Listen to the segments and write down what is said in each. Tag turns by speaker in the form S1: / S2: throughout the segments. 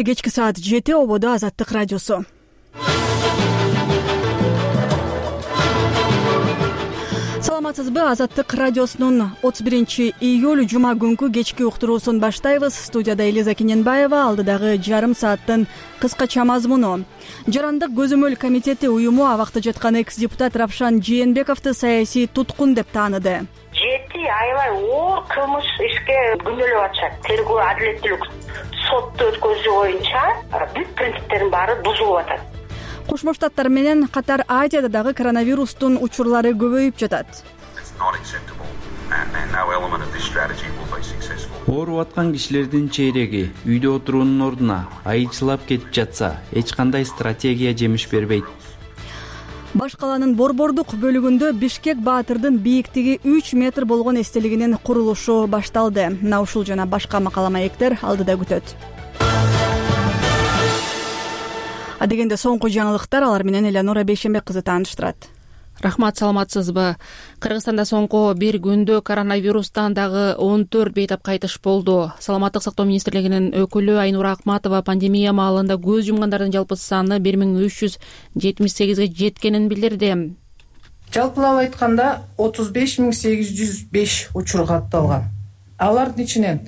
S1: Кечки саат 7 ободо Азаттык радиосу. Саламатсызбы? Азаттык радиосунун 31-июль жума күнкү кечки уктуруусун баштайбыз. Студияда Элиза Кененбаева, алдыдагы жарым сааттын кыскача мазмуну. Жарандык көзөмөл комитети уюму абакта жаткан экс-депутат Равшан Жээнбековду саясий туткун деп тааныды.
S2: 7 аябай оор кылмыш ишке күнөөлөп атышат. Тергөө адилеттүүлүк сотто өткөзүү боюнча бүт принциптердин баары бузулуп атат.
S1: Кошмо Штаттар менен катар Азияда дагы коронавирустун учурлары көбөйүп жатат.
S3: Ооруп аткан кишилердин чейреги үйдө отуруунун ордуна айчылап кетип жатса, эч кандай стратегия жемиш бербейт.
S1: Баш калаанын борбордук бөлүгүндө Бишкек Баатырдын бийиктиги 3 метр болгон эстелигинин курулушу башталды. Мына ушул жана башка макала маектер алдыда күтөт. Адегенде соңку жаңылыктар, алар менен Элеонора Бейшенбек кызы тааныштырат.
S4: Рахмат, саламатсызбы? Кыргызстанда соңку бир күндө коронавирустан дагы 14 бейтап кайтыш болду. Саламаттык сактоо министрлигинин өкүлү Айнура Акматова пандемия маалында көз жумгандардын жалпы саны 1378ге жеткенин билдирди.
S5: Жалпылап айтканда 35805 учур катталган. Алардын ичинен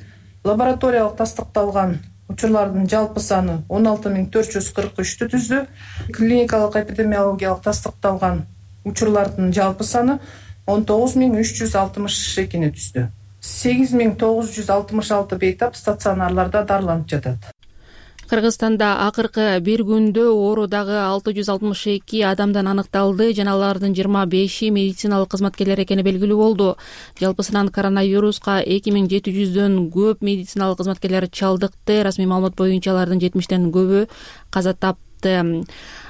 S5: лабораториялык тастыкталган учурлардын жалпы саны 16443 түздү. Клиникалык эпидемиологиялык тастыкталган учурлардын жалпы саны 19362 түздү. 8966 бейтап стационарларда дарыланып жатат.
S4: Кыргызстанда акыркы бир күндө оору дагы 662 адамдан аныкталды жана алардын 25 медициналык кызматкерлер экени белгилүү болду. Жалпысынан коронавируска 2700дөн көп медициналык кызматкерлер чалдыкты. Расмий маалымат боюнча алардын 70тен көбү каза тапты.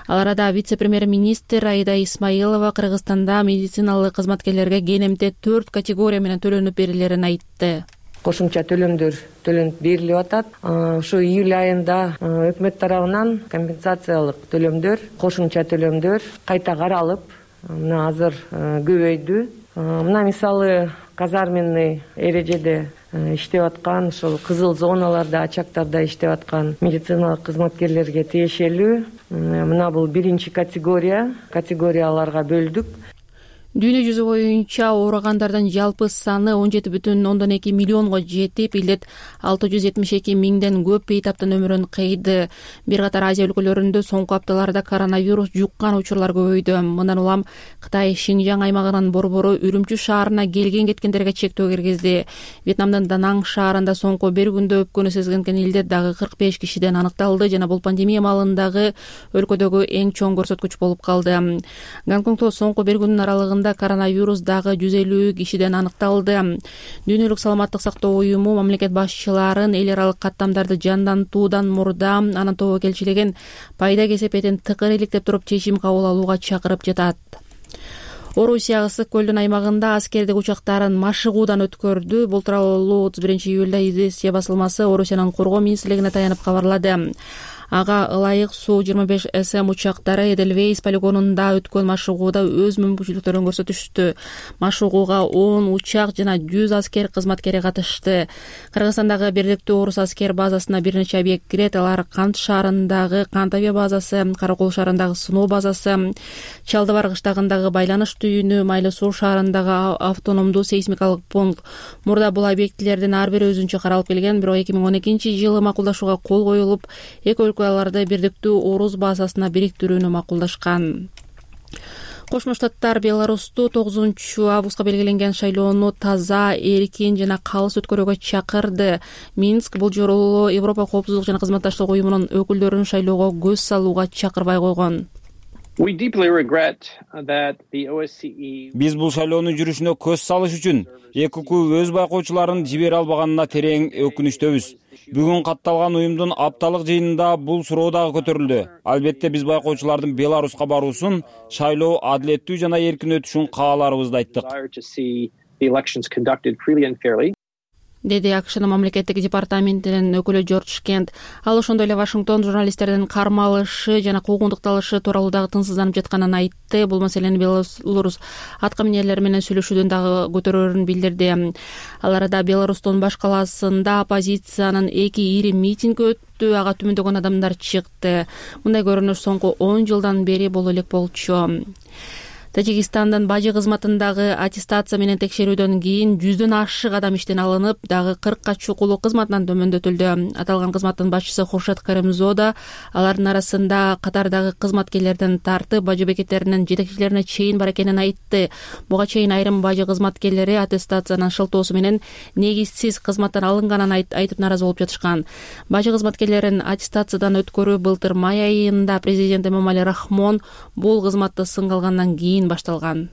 S4: Ал арада вице-премьер-министр Аида Исмаилова Кыргызстанда медициналык кызматкерлерге кенемте 4 категория менен төлөнүп берилерин айтты.
S6: Кошумча төлөмдөр төлөнүп берилип атат. Ушу июль айында өкмөт тарабынан компенсациялык төлөмдөр, кошумча төлөмдөр кайта каралып, мына азыр көбөйдү. Мына мисалы казарменный эрежеде иштеп аткан, ошол кызыл зоналарда, очактарда иштеп аткан медициналык кызматкерлерге тиешелүү. Мына бул биринчи категорияларга бөлдүк.
S4: Дүйнө жүзү боюнча ооругандардын жалпы саны 17,2 миллионго жетип, илет 672 миңден көп бейтаптын өмүрүн кыйды. Бир катар Азия өлкөлөрүндө соңку апталарда коронавирус жуккан учурлар көбөйдү. Мындан улам Кытай Шинжаң аймагынын борбору Үрүмчү шаарына келген-кеткендерге чектөө киргизди. Вьетнамдын Данаң шаарында соңку бир күндө өпкөнү сезген илдет дагы 45 кишиден аныкталды жана бул пандемия маалындагы өлкөдөгү эң чоң көрсөткүч болуп калды. Гонконгдо соңку бир күндүн аралыгында коронавирус дагы 150 кишиден аныкталды. Дүйнөлүк саламаттык сактоо уюму мамлекет башчыларын эл аралык каттамдарды жандантуудан мурда анын тобокелчилигин пайда кесепетин тыкыр иликтеп туруп чечим кабыл алууга чакырып жатат. Орусия Ысык көлдүн аймагында аскердик учактарын машыгуудан өткөрдү. Бул тууралуу 31-июлда Известия басылмасы Орусиянын коргоо министрлигине таянып кабарлады. Ага ылайык суу 25 СМ учактары Эдельвейс полигонунда өткөн машыгууда өз мүмкүнчүлүктөрүн көрсөтүштү. Машыгууга 10 учак жана 100 аскер кызматкери катышты. Кыргызстандагы Бирдиктүү орус аскер базасына бир нече объект кирет. Алар Кант шаарындагы Кант авиа базасы, Каракол шаарындагы сыноо базасы, Чалдыбар кыштагындагы байланыш түйүнү, Майлы суу шаарындагы автономдуу сейсмикалык пункт. Мурда бул объектилердин ар бири өзүнчө каралып келген, бирок 2012-жылы макулдашууга кол коюлуп, эки өлкөлөрдө Бирдиктүү орус базасына бириктирүүнү макулдашкан. Кошмо Штаттар Беларусту 9-августка белгиленген шайлоону таза, эркин жана калыс өткөрүүгө чакырды. Минск бул жолу Европа коопсуздук жана кызматташтык уюмунун өкүлдөрүн шайлоого көз салууга чакырбай койгон.
S7: Биз бул шайлоонун жүрүшүнө көз салыш үчүн ЭКУ өз байкоочуларын жибере албаганына терең өкүнүчтөбүз. Бүгүн катталган уюмдун апталык жыйынында бул суроо дагы көтөрүлдү. Албетте биз байкоочулардын Беларуска баруусун, шайлоо адилеттүү жана эркин өтүшүн кааларыбызды айттык.
S4: деди АКШнын мамлекеттик департаментинин өкүлү Джордж Кент. Ал ошондой эле Вашингтон журналисттердин кармалышы жана куугунтукталышы тууралуу дагы тынчсызданып жатканын айтты. Бул маселени Белорус атка минерлери менен сүйлөшүүдөн дагы көтөрөрүн билдирди. Ал арада Беларустун баш калаасында оппозициянын 2 ири митинг өттү. Ага түмөндөгөн адамдар чыкты. Мындай көрүнүш соңку 10 жылдан бери боло элек болчу. Тажикстандын бажы кызматындагы аттестация менен текшерүүдөн кийин 100дөн ашык адам иштен алынып, дагы 40ка чукулуу кызматынан төмөндөтүлдү. Аталган кызматтын башчысы Хуршат Каримзода алардын арасында катардагы кызматкерлерден тартып бажы бекеттеринин жетекчилерине чейин бар экенин айтты. Буга чейин айрым бажы кызматкерлери аттестациянын шылтоосу менен негизсиз кызматтан алынганын айтып наразы болуп жатышкан. Бажы кызматкерлерин аттестациядан өткөрүү былтыр май айында президент Эмомали Рахмон бул кызматты сынга алгандан кийин башталган.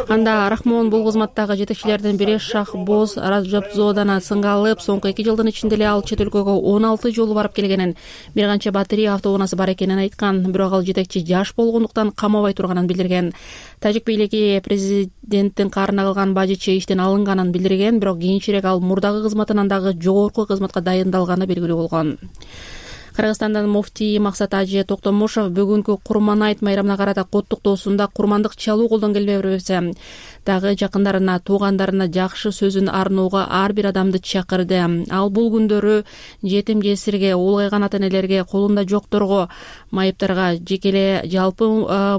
S4: Анда Рахмон бул кызматтагы жетекчилердин бири Шахбоз Раджабзоданы сынга алып, соңку 2 жылдын ичинде эле ал чет өлкөгө 16 жолу барып келгенин, бир канча батарея автоунаасы бар экенин айткан. Бирок ал жетекчи жаш болгондуктан камабай турганын билдирген. Тажик бийлиги президенттин каарына калган бажычы иштен алынганын билдирген, бирок кийинчерээк ал мурдагы кызматынан дагы жогорку кызматка дайындалганы белгилүү болгон. Кыргызстандын муфтийи Максат Ажы Токтомушов бүгүнкү Курман айт майрамына карата коттуктоосунда курмандык чалуу колдон келбей бербесе дагы жакындарына, туугандарына жакшы сөзүн арноого ар бир адамды чакырды. Ал бул күндөрү жетим жесирге, улгайган ата-энелерге, колунда жокторго, майыптарга, жеке эле жалпы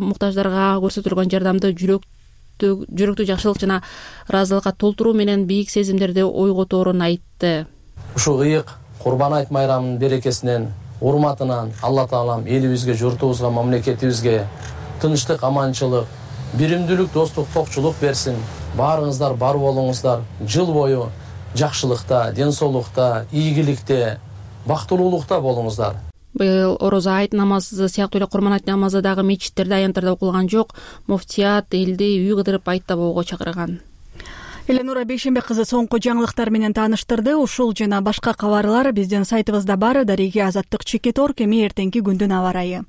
S4: муктаждарга көрсөтүлгөн жардамды жүрөктүү жакшылык жана ыраазылыкка толтуруу менен бийик сезимдерди ойготорун айтты.
S8: Ушул ыйык Курбан айт майрамынын берекесинен, урматынан Алла Таалам элибизге, журтубузга, мамлекетибизге тынчтык, аманчылык, биримдүүлүк, достук, токчулук берсин. Баарыңыздар бар болуңуздар. Жыл бою жакшылыкта, ден соолукта, ийгиликте, бактылуулукта болуңуздар.
S4: Быйыл Орозо айт намазы сыяктуу эле Курман айт намазы дагы мечиттерде, аянттарда окулган жок. Муфтият элди үй кыдырып айт табууга чакырган.
S1: Эленура Бейшембек кызы соңку жаңылыктар менен тааныштырды. Ушул жана башка кабарлар биздин сайтыбызда бар. Дареги Азаттык Чекет.org. Эми эртеңки күндүн аба ырайы.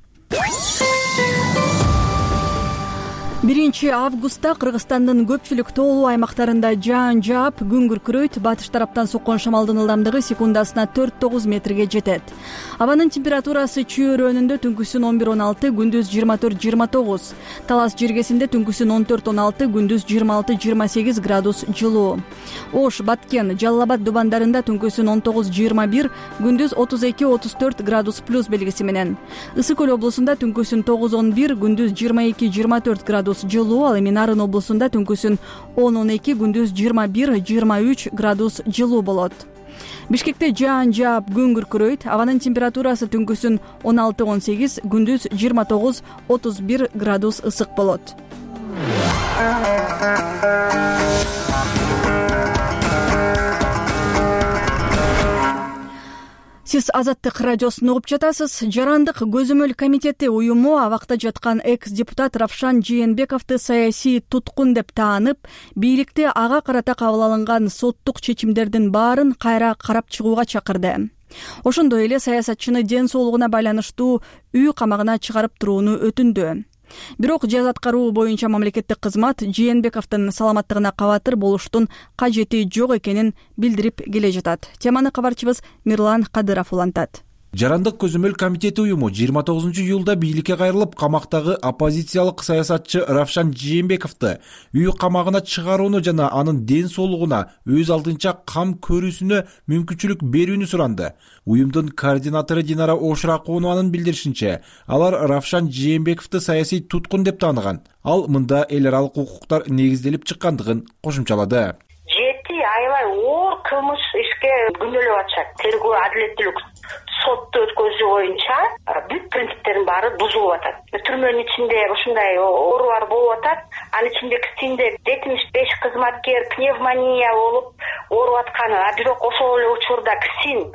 S1: 1 августта Кыргызстандын көпчүлүк тоолуу аймактарында жаан жаап, күн күркүрөйт. Батыш тараптан соккон шамалдын ылдамдыгы секундасына 4-9 метрге жетет. Абанын температурасы Чүй өрөөнүндө түнкүсүн 11-16, күндүз 24-29. Талас жергесинде түнкүсүн 14-16, күндүз 26-28 градус жылуу. Ош, Баткен, Жалал Абад дубандарында түнкүсүн 19-21, күндүз 32-34 градус плюс белгиси менен. Ысык көл облусунда түнкүсүн 9-11, күндүз 22-24 градус жылуу. Ал эми Нарын облусунда түнкүсүн 10-12, күндүз 21-23 градус жылуу болот. Бишкекте жаан жаап, күн күркүрөйт. Абанын температурасы түнкүсүн 16-18, күндүз 29-31 градус ысык болот. Сиз Азаттык радиосун угуп жатасыз. Жарандык көзөмөл комитети уюму абакта жаткан экс-депутат Равшан Жээнбековду саясий туткун деп таанып, бийликти ага карата кабыл алынган соттук чечимдердин баарын кайра карап чыгууга чакырды. Ошондой эле саясатчыны ден соолугуна байланыштуу үй камагына чыгарып турууну өтүндү. Бирок жаз аткаруу боюнча мамлекеттик кызмат Жээнбековдун саламаттыгына кабатыр болуштун кажети жок экенин билдирип келе жатат. Теманы кабарчыбыз Мирлан Кадыров улантат.
S9: Жарандык көзөмөл комитети уюму 29-июлда бийликке кайрылып, камактагы оппозициялык саясатчы Равшан Жээнбековду үй камагына чыгарууну жана анын ден соолугуна өз алдынча кам көрүүсүнө мүмкүнчүлүк берүүнү суранды. Уюмдун координатору Динара Ошракованын билдиришинче, алар Равшан Жээнбековду саясий туткун деп тааныган. Ал мында эл аралык укуктар негизделип чыккандыгын кошумчалады.
S2: 7 аябай оор кылмыш ишке күнөөлөп атышат. Тергөө адилеттүүлүк сотту өткөзүү боюнча бүт принциптердин баары бузулуп атат. Түрмөнүн ичинде ушундай оорулар болуп атат. Анын ичинде 75 кызматкер пневмония болуп ооруп атканы, бирок ошол эле учурда ксин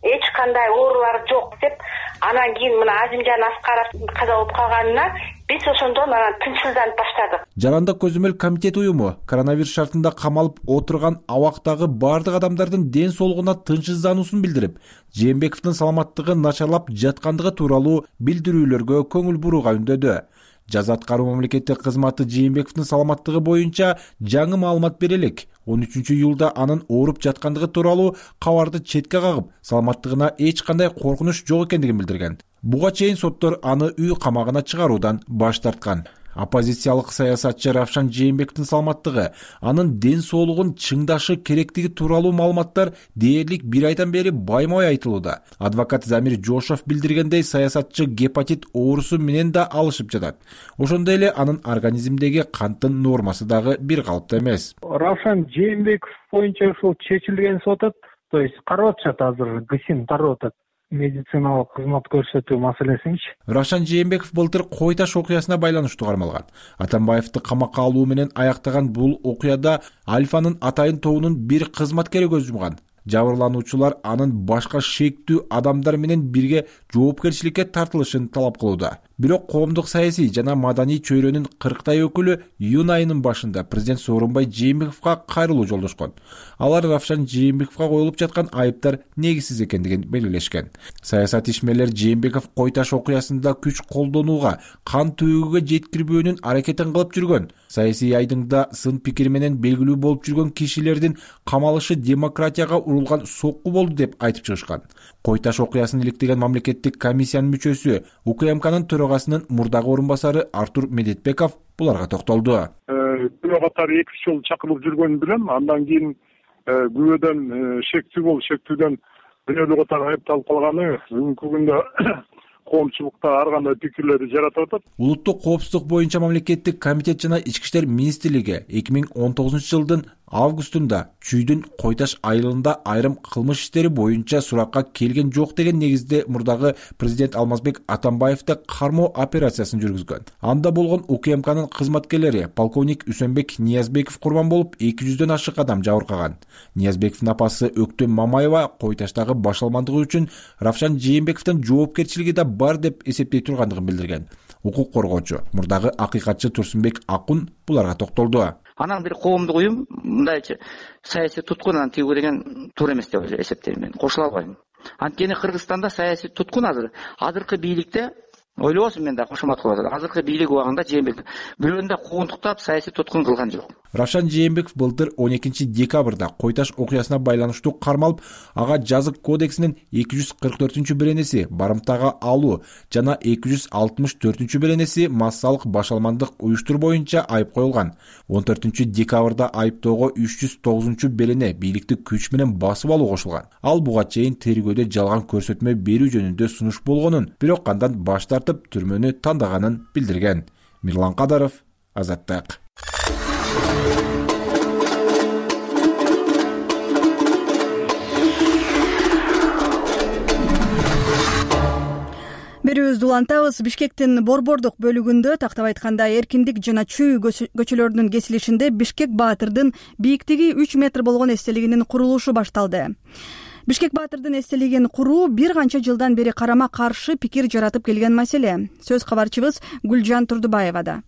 S2: эч кандай оорулар жок деп, анан кийин мына Азимжан Аскаров каза болуп калганына биз ошондон анан тынчсызданып баштадык.
S9: Жарандык көзөмөл комитет уюму коронавирус шартында камалып отурган абактагы бардык адамдардын ден соолугуна тынчсыздануусун билдирип, Жээнбековдун саламаттыгы начарлап жаткандыгы тууралуу билдирүүлөргө көңүл бурууга үндөдү. жаза аткаруу мамлекеттик кызматы Жээнбековдун саламаттыгы боюнча жаңы маалымат бере элек. 13-июлда анын ооруп жаткандыгы тууралуу кабарды четке кагып, саламаттыгына эч кандай коркунуч жок экендигин билдирген. Буга чейин соттор аны үй камагына чыгаруудан баш тарткан. Оппозициялык саясатчы Равшан Жээнбековдун саламаттыгы, анын ден соолугун чыңдашы керектиги тууралуу маалыматтар дээрлик 1 айдан бери баймай айтылууда. Адвокат Замир Жошов билдиргендей, саясатчы гепатит оорусу менен да алышып жатат. Ошондой эле анын организмдеги канттын нормасы дагы бир калыпта эмес.
S10: Равшан Жээнбеков боюнча ушул чечилген сотот, то есть карап атышат, азыр ГСИН карап атат. Медициналык кызмат көрсөтүү маселесинчи.
S9: Равшан Жээнбеков былтыр Кой Таш окуясына байланыштуу кармалган. Атамбаевди камакка алуу менен аяктаган бул окуяда Альфанын атайын тобунун бир кызматкери көз жумган. Жабырлануучулар анын башка шектүү адамдар менен бирге жоопкерчиликке тартылышын талап кылууда. Бирок коомдук саясий жана маданий чөйрөнүн 40 өкүлү июнь айынын башында президент Сооронбай Жээнбековго кайрылуу жолдошкон. Алар Равшан Жээнбековго коюлуп жаткан айыптар негизсиз экендигин белгилешкен. Саясат ишмерлер Жээнбеков Кой Таш окуясында күч колдонууга, кан төгүүгө жеткирбөөнүн аракетин кылып жүргөн. Саясий айдыңда сын пикир менен белгилүү болуп жүргөн кишилердин камалышы демократияга урулган сокку болду деп айтып чыгышкан. Кой Таш окуясын иликтеген мамлекеттик комиссиянын мүчөсү, УКМКнын төрагасынын мурдагы орун басары Артур Медетбеков буларга токтолду.
S10: Күнөө катары 2 жол чакырылып жүргөнүн билем. Андан кийин күбөдөн шектүү болуп, шектүүдөн күнөөлүү катары айыпталып калганы бүгүнкү күндө коомчулукта ар кандай пикирлерди жаратып атат.
S9: Улуттук коопсуздук боюнча мамлекеттик комитет жана Ички иштер министрлиги 2019-жылдын августунда чүйдүн Кой Таш айылында айрым кылмыш иштери боюнча суракка келген жок деген негизде мурдагы президент Алмазбек Атамбаевди кармоо операциясын жүргүзгөн. Анда болгон УКМКнын кызматкерлери полковник Үсөнбек Ниязбеков курман болуп, 200дөн ашык адам жабыркаган. Ниязбековдун апасы Өктөм Мамаева Кой Таштагы башалмандыгы үчүн Равшан Жээнбековдун жоопкерчилиги да бар деп эсептей тургандыгын билдирген. Укук коргоочу, мурдагы акыйкатчы Турсунбек Акун буларга токтолду.
S11: Анан бир коомдук уюм мындайчы саясий туткунан тийгүү деген туура эмес деп эсептейм мен. Кошула албайм. Анткени Кыргызстанда саясий туткун азыркы бийликте ойлобосун, мен да кошумат кылып атат. Азыркы бийлик убагында Жээнбеков бирөөнү да куугунтуктап саясий туткун кылган жок.
S9: Равшан Жээнбеков былтыр 12-декабрда Кой Таш окуясына байланыштуу кармалып, ага жазык кодексинин 244-беренеси барымтага алуу жана 264-беренеси массалык башалмандык уюштуруу боюнча айып коюлган. 14-декабрда айыптоого 309-берене бийликти күч менен басып алуу кошулган. Ал буга чейин тергөөдө жалган көрсөтмө берүү жөнүндө сунуш болгонун, бирок андан баш тартып түрмөнү тандаганын билдирген. Мирлан Кадаров, Азаттык.
S1: Берүүбүздү улантабыз. Бишкектин борбордук бөлүгүндө, тактап айтканда Эркиндик жана Чүй көчөлөрүнүн кесилишинде Бишкек Баатырдын бийиктиги 3 метр болгон эстелигинин курулушу башталды. Бишкек Баатырдын эстелигин куруу бир канча жылдан бери карама каршы пикир жаратып келген маселе. Сөз кабарчыбыз Гүлжан Турдубаевада.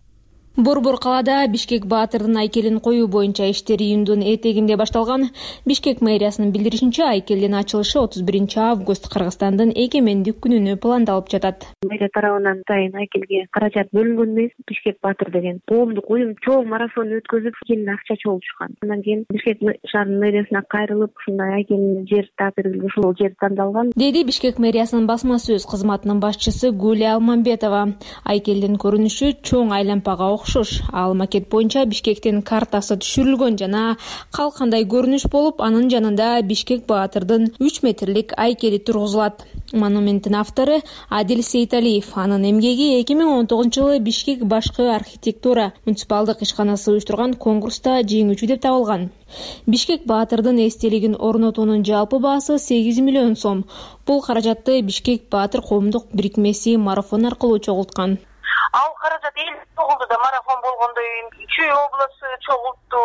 S4: Борбор калаада Бишкек Баатырдын айкелин коюу боюнча иштер июндун этегинде башталган. Бишкек мэриясынын билдиришинче, айкелдин ачылышы 31-август Кыргызстандын эгемендик күнүнө пландалып жатат.
S12: Мэрия тарабынан атайын айкелге каражат бөлүнгөн эмес. Бишкек Баатыр деген коомдук уюм чоң марафон өткөзүп, келин акча чогултушкан. Андан кийин Бишкек шаарынын мэриясына кайрылып, ушундай айкелин жер таап берилген, ушул жер тандалган,
S4: деди Бишкек мэриясынын басма сөз кызматынын башчысы Гүлия Алмамбетова. Айкелдин көрүнүшү чоң айлампага окшош. Ал макет боюнча Бишкектин картасы түшүрүлгөн жана калкандай көрүнүш болуп, анын жанында Бишкек Баатырдын 3 метрлик айкели тургузулат. Монументтин автору Адил Сейталиев. Анын эмгеги 2019-жылы Бишкек башкы архитектура муниципалдык ишканасы уюштурган конкурста жеңүүчү деп табылган. Бишкек Баатырдын эстелигин орнотуунун жалпы баасы 8 миллион сом. Бул каражатты Бишкек Баатыр коомдук бирикмеси марафон аркылуу чогулткан.
S2: Ал каражат эл чогулду да, марафон болгондой Чүй областы чогултту,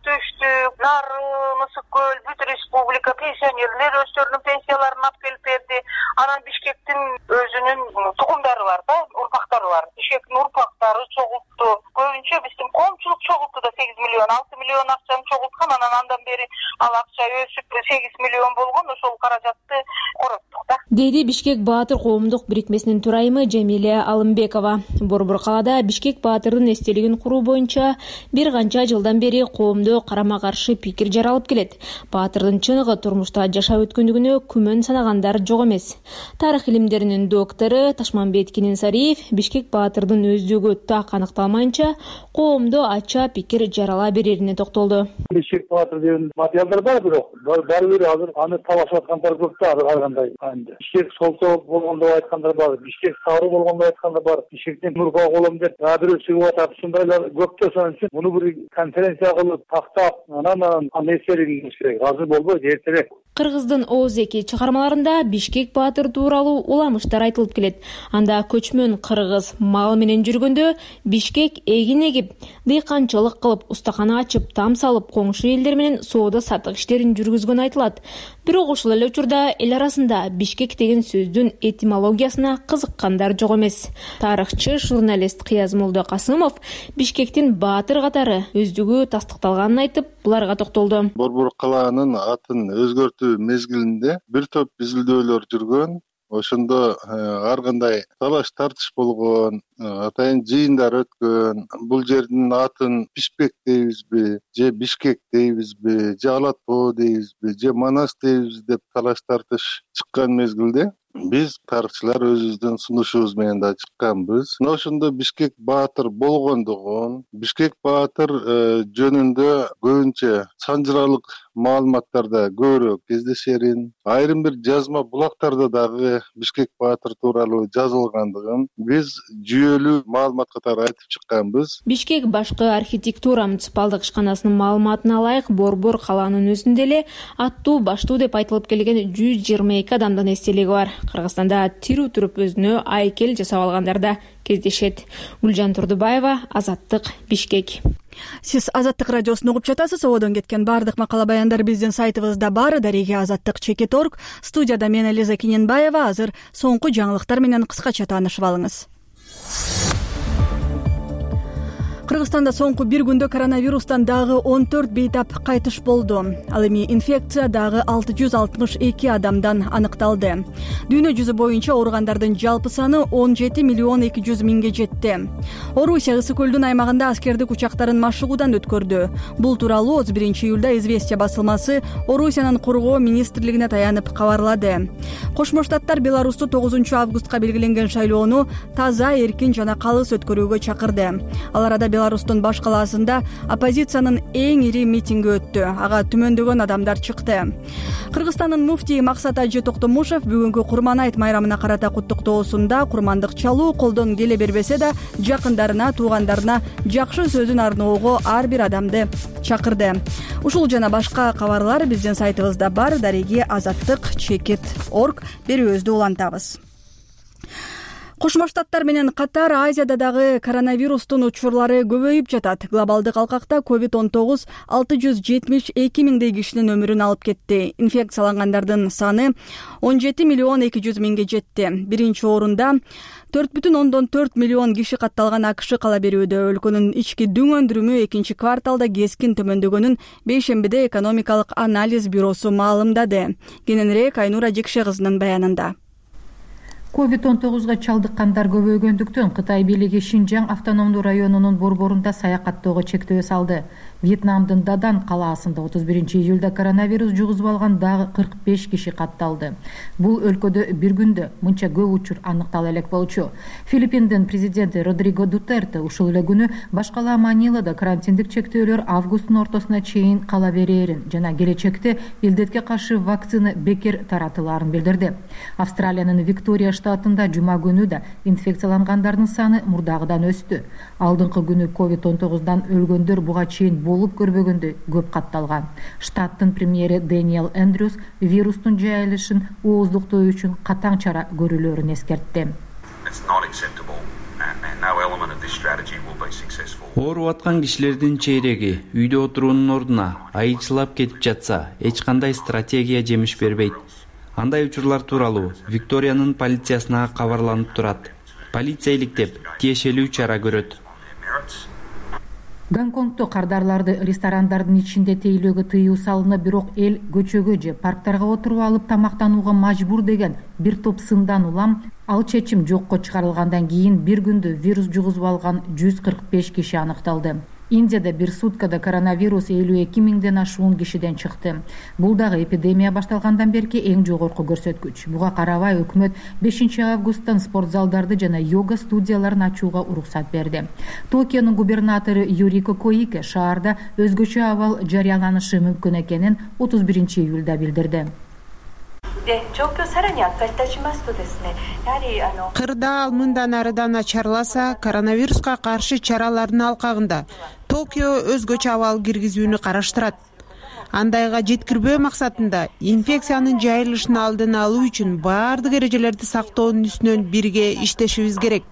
S2: Төштүк, Нары, Мысык көл, бүт республика пенсионерлер өздөрүнүн пенсияларын алып келип берди. Анан Бишкектин өзүнүн тукумдары бар да, урпактары бар. Бишкектин урпактары чогултту. Көбүнчө биздин коомчулук чогултту да, 8 миллион, 6 миллион акчаны чогулткан. Анан андан бери ал акча өсүп 8 миллион болгон. Ошол каражатты короттук да.
S4: деди Бишкек Баатыр коомдук бирикмесинин төрайымы Жамиля Алымбекова. Борбор калаада Бишкек Баатырдын эстелигин куруу боюнча бир канча жылдан бери коомдо карама каршы пикир жаралып келет. Баатырдын чыныгы турмушта жашап өткөндүгүнө күмөн санагандар жок эмес. Тарых илимдеринин доктору Ташманбет Кининсариев Бишкек Баатырдын өздүгү так аныкталмайынча коомдо ача пикир жарала берерине токтолду.
S13: Бишкек Баатыр деген материалдар бар, бирок баары бир азыр аны талашып аткандар көп да, ар кандай. Бишкек солто болгондо айткандар бар, Бишкек сары болгондо айткандар бар, Бишкектен Нурка колом деп бирөө чыгып атат. Ушундайлар көп да, ошон үчүн муну бир конференция кылып тактап, анан эсериңиз керек. Азыр болбойт, эртерээк.
S4: Кыргыздын Ооз-2 чыгармаларында Бишкек Баатыр тууралуу уламыштар айтылып келет. Анда көчмөн кыргыз мал менен жүргөндө Бишкек эгин эгип, дыйканчылык кылып, устакана ачып, там салып, коңшу элдер менен соода саттык иштерин жүргүзгөнү айтылат. Бирок ушул эле учурда эл арасында Бишкек деген сөздүн этимологиясына кызыккандар жок эмес. Тарыхчы, журналист Кыяз Молдокасымов Бишкектин Баатыр катары өздүгү тастыкталганын айтып, буларга токтолду.
S14: Борбор калаанын атын өзгөртүү мезгилинде бир топ изилдөөлөр жүргөн. Ошондо ар кандай талаш тартыш болгон, атайын жыйындар өткөн. Бул жердин атын Бишкек дейбизби, же Бишкек дейбизби, же Алат тоо дейбизби, же Манас дейбиз деп талаш тартыш чыккан мезгилде биз тарыхчылар өзүбүздүн сунушубуз менен да чыкканбыз. Мына ошондо Бишкек Баатыр болгондугун, Бишкек Баатыр жөнүндө көбүнчө санжыралык маалыматтарда көбүрөөк кездешерин, айрым бир жазма булактарда дагы Бишкек Баатыр тууралуу жазылгандыгын биз жүйөлүү маалымат катары айтып чыкканбыз.
S4: Бишкек башкы архитектура муниципалдык ишканасынын маалыматына ылайык Борбор калаанын өзүндө эле аттуу баштуу деп айтылып келген 122 адамдын эстелиги бар. Кыргызстанда тирүү туруп өзүнө айкел жасап алгандар да кездешет. Гүлжан Турдубаева, Азаттык, Бишкек.
S1: Сиз Азаттык радиосун угуп жатасыз. Ободон кеткен баардык макала баяндар биздин сайтыбызда бар. Дареге Азаттык.org. Студияда мен Элиза Киненбаева. Азыр соңку жаңылыктар менен кыскача таанышып алыңыз. Кыргызстанда соңку бир күндө коронавирустан дагы 14 бейтап кайтыш болду. Ал эми инфекция дагы 662 адамдан аныкталды. Дүйнө жүзү боюнча ооругандардын жалпы саны 17 миллион 200 миңге жетти. Орусия Ысык көлдүн аймагында аскердик учактарын машыгуудан өткөрдү. Бул тууралуу 31 июлда Известия басылмасы Орусиянын коргоо министрлигине таянып кабарлады. Кошмо Штаттар Беларусту 9 августка белгиленген шайлоону таза, эркин жана калыс өткөрүүгө чакырды. Ал арада Беларустун баш калаасында оппозициянын эң ири митинги өттү. Ага түмөндөгөн адамдар чыкты. Кыргызстандын муфтии Максат Ажы Токтомушев бүгүнкү Курман айт майрамына карата куттуктоосунда курмандык чалуу колдон келе бербесе да жакындарына, туугандарына жакшы сөзүн арноого ар бир адамды чакырды. Ушул жана башка кабарлар биздин сайтыбызда бар. Дареги Азаттык.org. Берүүбүздү улантабыз. Кошмо Штаттар менен катар Азияда дагы коронавирустун учурлары көбөйүп жатат. Глобалдык алкакта COVID-19 672 миңдей кишинин өмүрүн алып кетти. Инфекциялангандардын саны 17 миллион 200 миңге жетти. Биринчи орунда 4,4 миллион киши катталган АКШ кала берүүдө. Өлкөнүн ички дүң өндүрүмү экинчи кварталда кескин төмөндөгөнүн бейшембиде экономикалык анализ бюросу маалымдады. Кененирээк Айнура Жекше кызынын баянында.
S15: COVID-19 чалдыккандар көбөйгөндүктөн Кытай бийлиги Шинжаң автономдуу районунун борборунда саякаттоого чектөө салды. Вьетнамдын Дадан калаасында 31 июлда коронавирус жугузуп алган дагы 45 киши катталды. Бул өлкөдө бир күндө мынча көп учур аныктала элек болчу. Филиппиндин президенти Родриго Дутерте ушул эле күнү баш калаа Манилада карантиндик чектөөлөр августтун ортосуна чейин кала берерин жана келечекте илдетке каршы вакцина бекер таратылаарын билдирди. Австралиянын Виктория штатында жума күнү да инфекциялангандардын саны мурдагыдан өстү. Алдыңкы күнү COVID-19дан өлгөндөр буга чейин болуп көрбөгөндөй көп катталган. Штаттын премьери Дэниел Эндрюс вирустун жайылышын ооздуктоо үчүн катаң чара көрүлөрүн эскертти.
S3: Ооруп аткан кишилердин чейреги үйдө отуруунун ордуна айчылап кетип жатса, эч кандай стратегия жемиш бербейт. Андай учурлар тууралуу Викториянын полициясына кабарланып турат. Полиция иликтеп, тиешелүү чара көрөт.
S15: Гонконгдо кардарларды ресторандардын ичинде тейлөөгө тыюу салынып, бирок эл көчөгө же парктарга отуруп алып тамактанууга мажбур деген бир топ сындан улам ал чечим жокко чыгарылгандан кийин бир күндө вирус жугузуп алган 145 киши аныкталды. Индияда бир суткада коронавирус 52 миңден ашуун кишиден чыкты. Бул дагы эпидемия башталгандан берки эң жогорку көрсөткүч. Буга карабай өкмөт 5 августтан спорт залдарды жана йога студияларын ачууга уруксат берди. Токионун губернатору Юрико Коике шаарда өзгөчө абал жарыяланышы мүмкүн экенин 31 июлда билдирди.
S16: Кырда ал мындан арыдан начарласа, коронавируска каршы чаралардын алкагында Токио өзгөчө абал киргизүүнү караштырат. Андайга жеткирбөө максатында инфекциянын жайылышын алдын алуу үчүн баардык эрежелерди сактоонун үстүнөн бирге иштешибиз керек.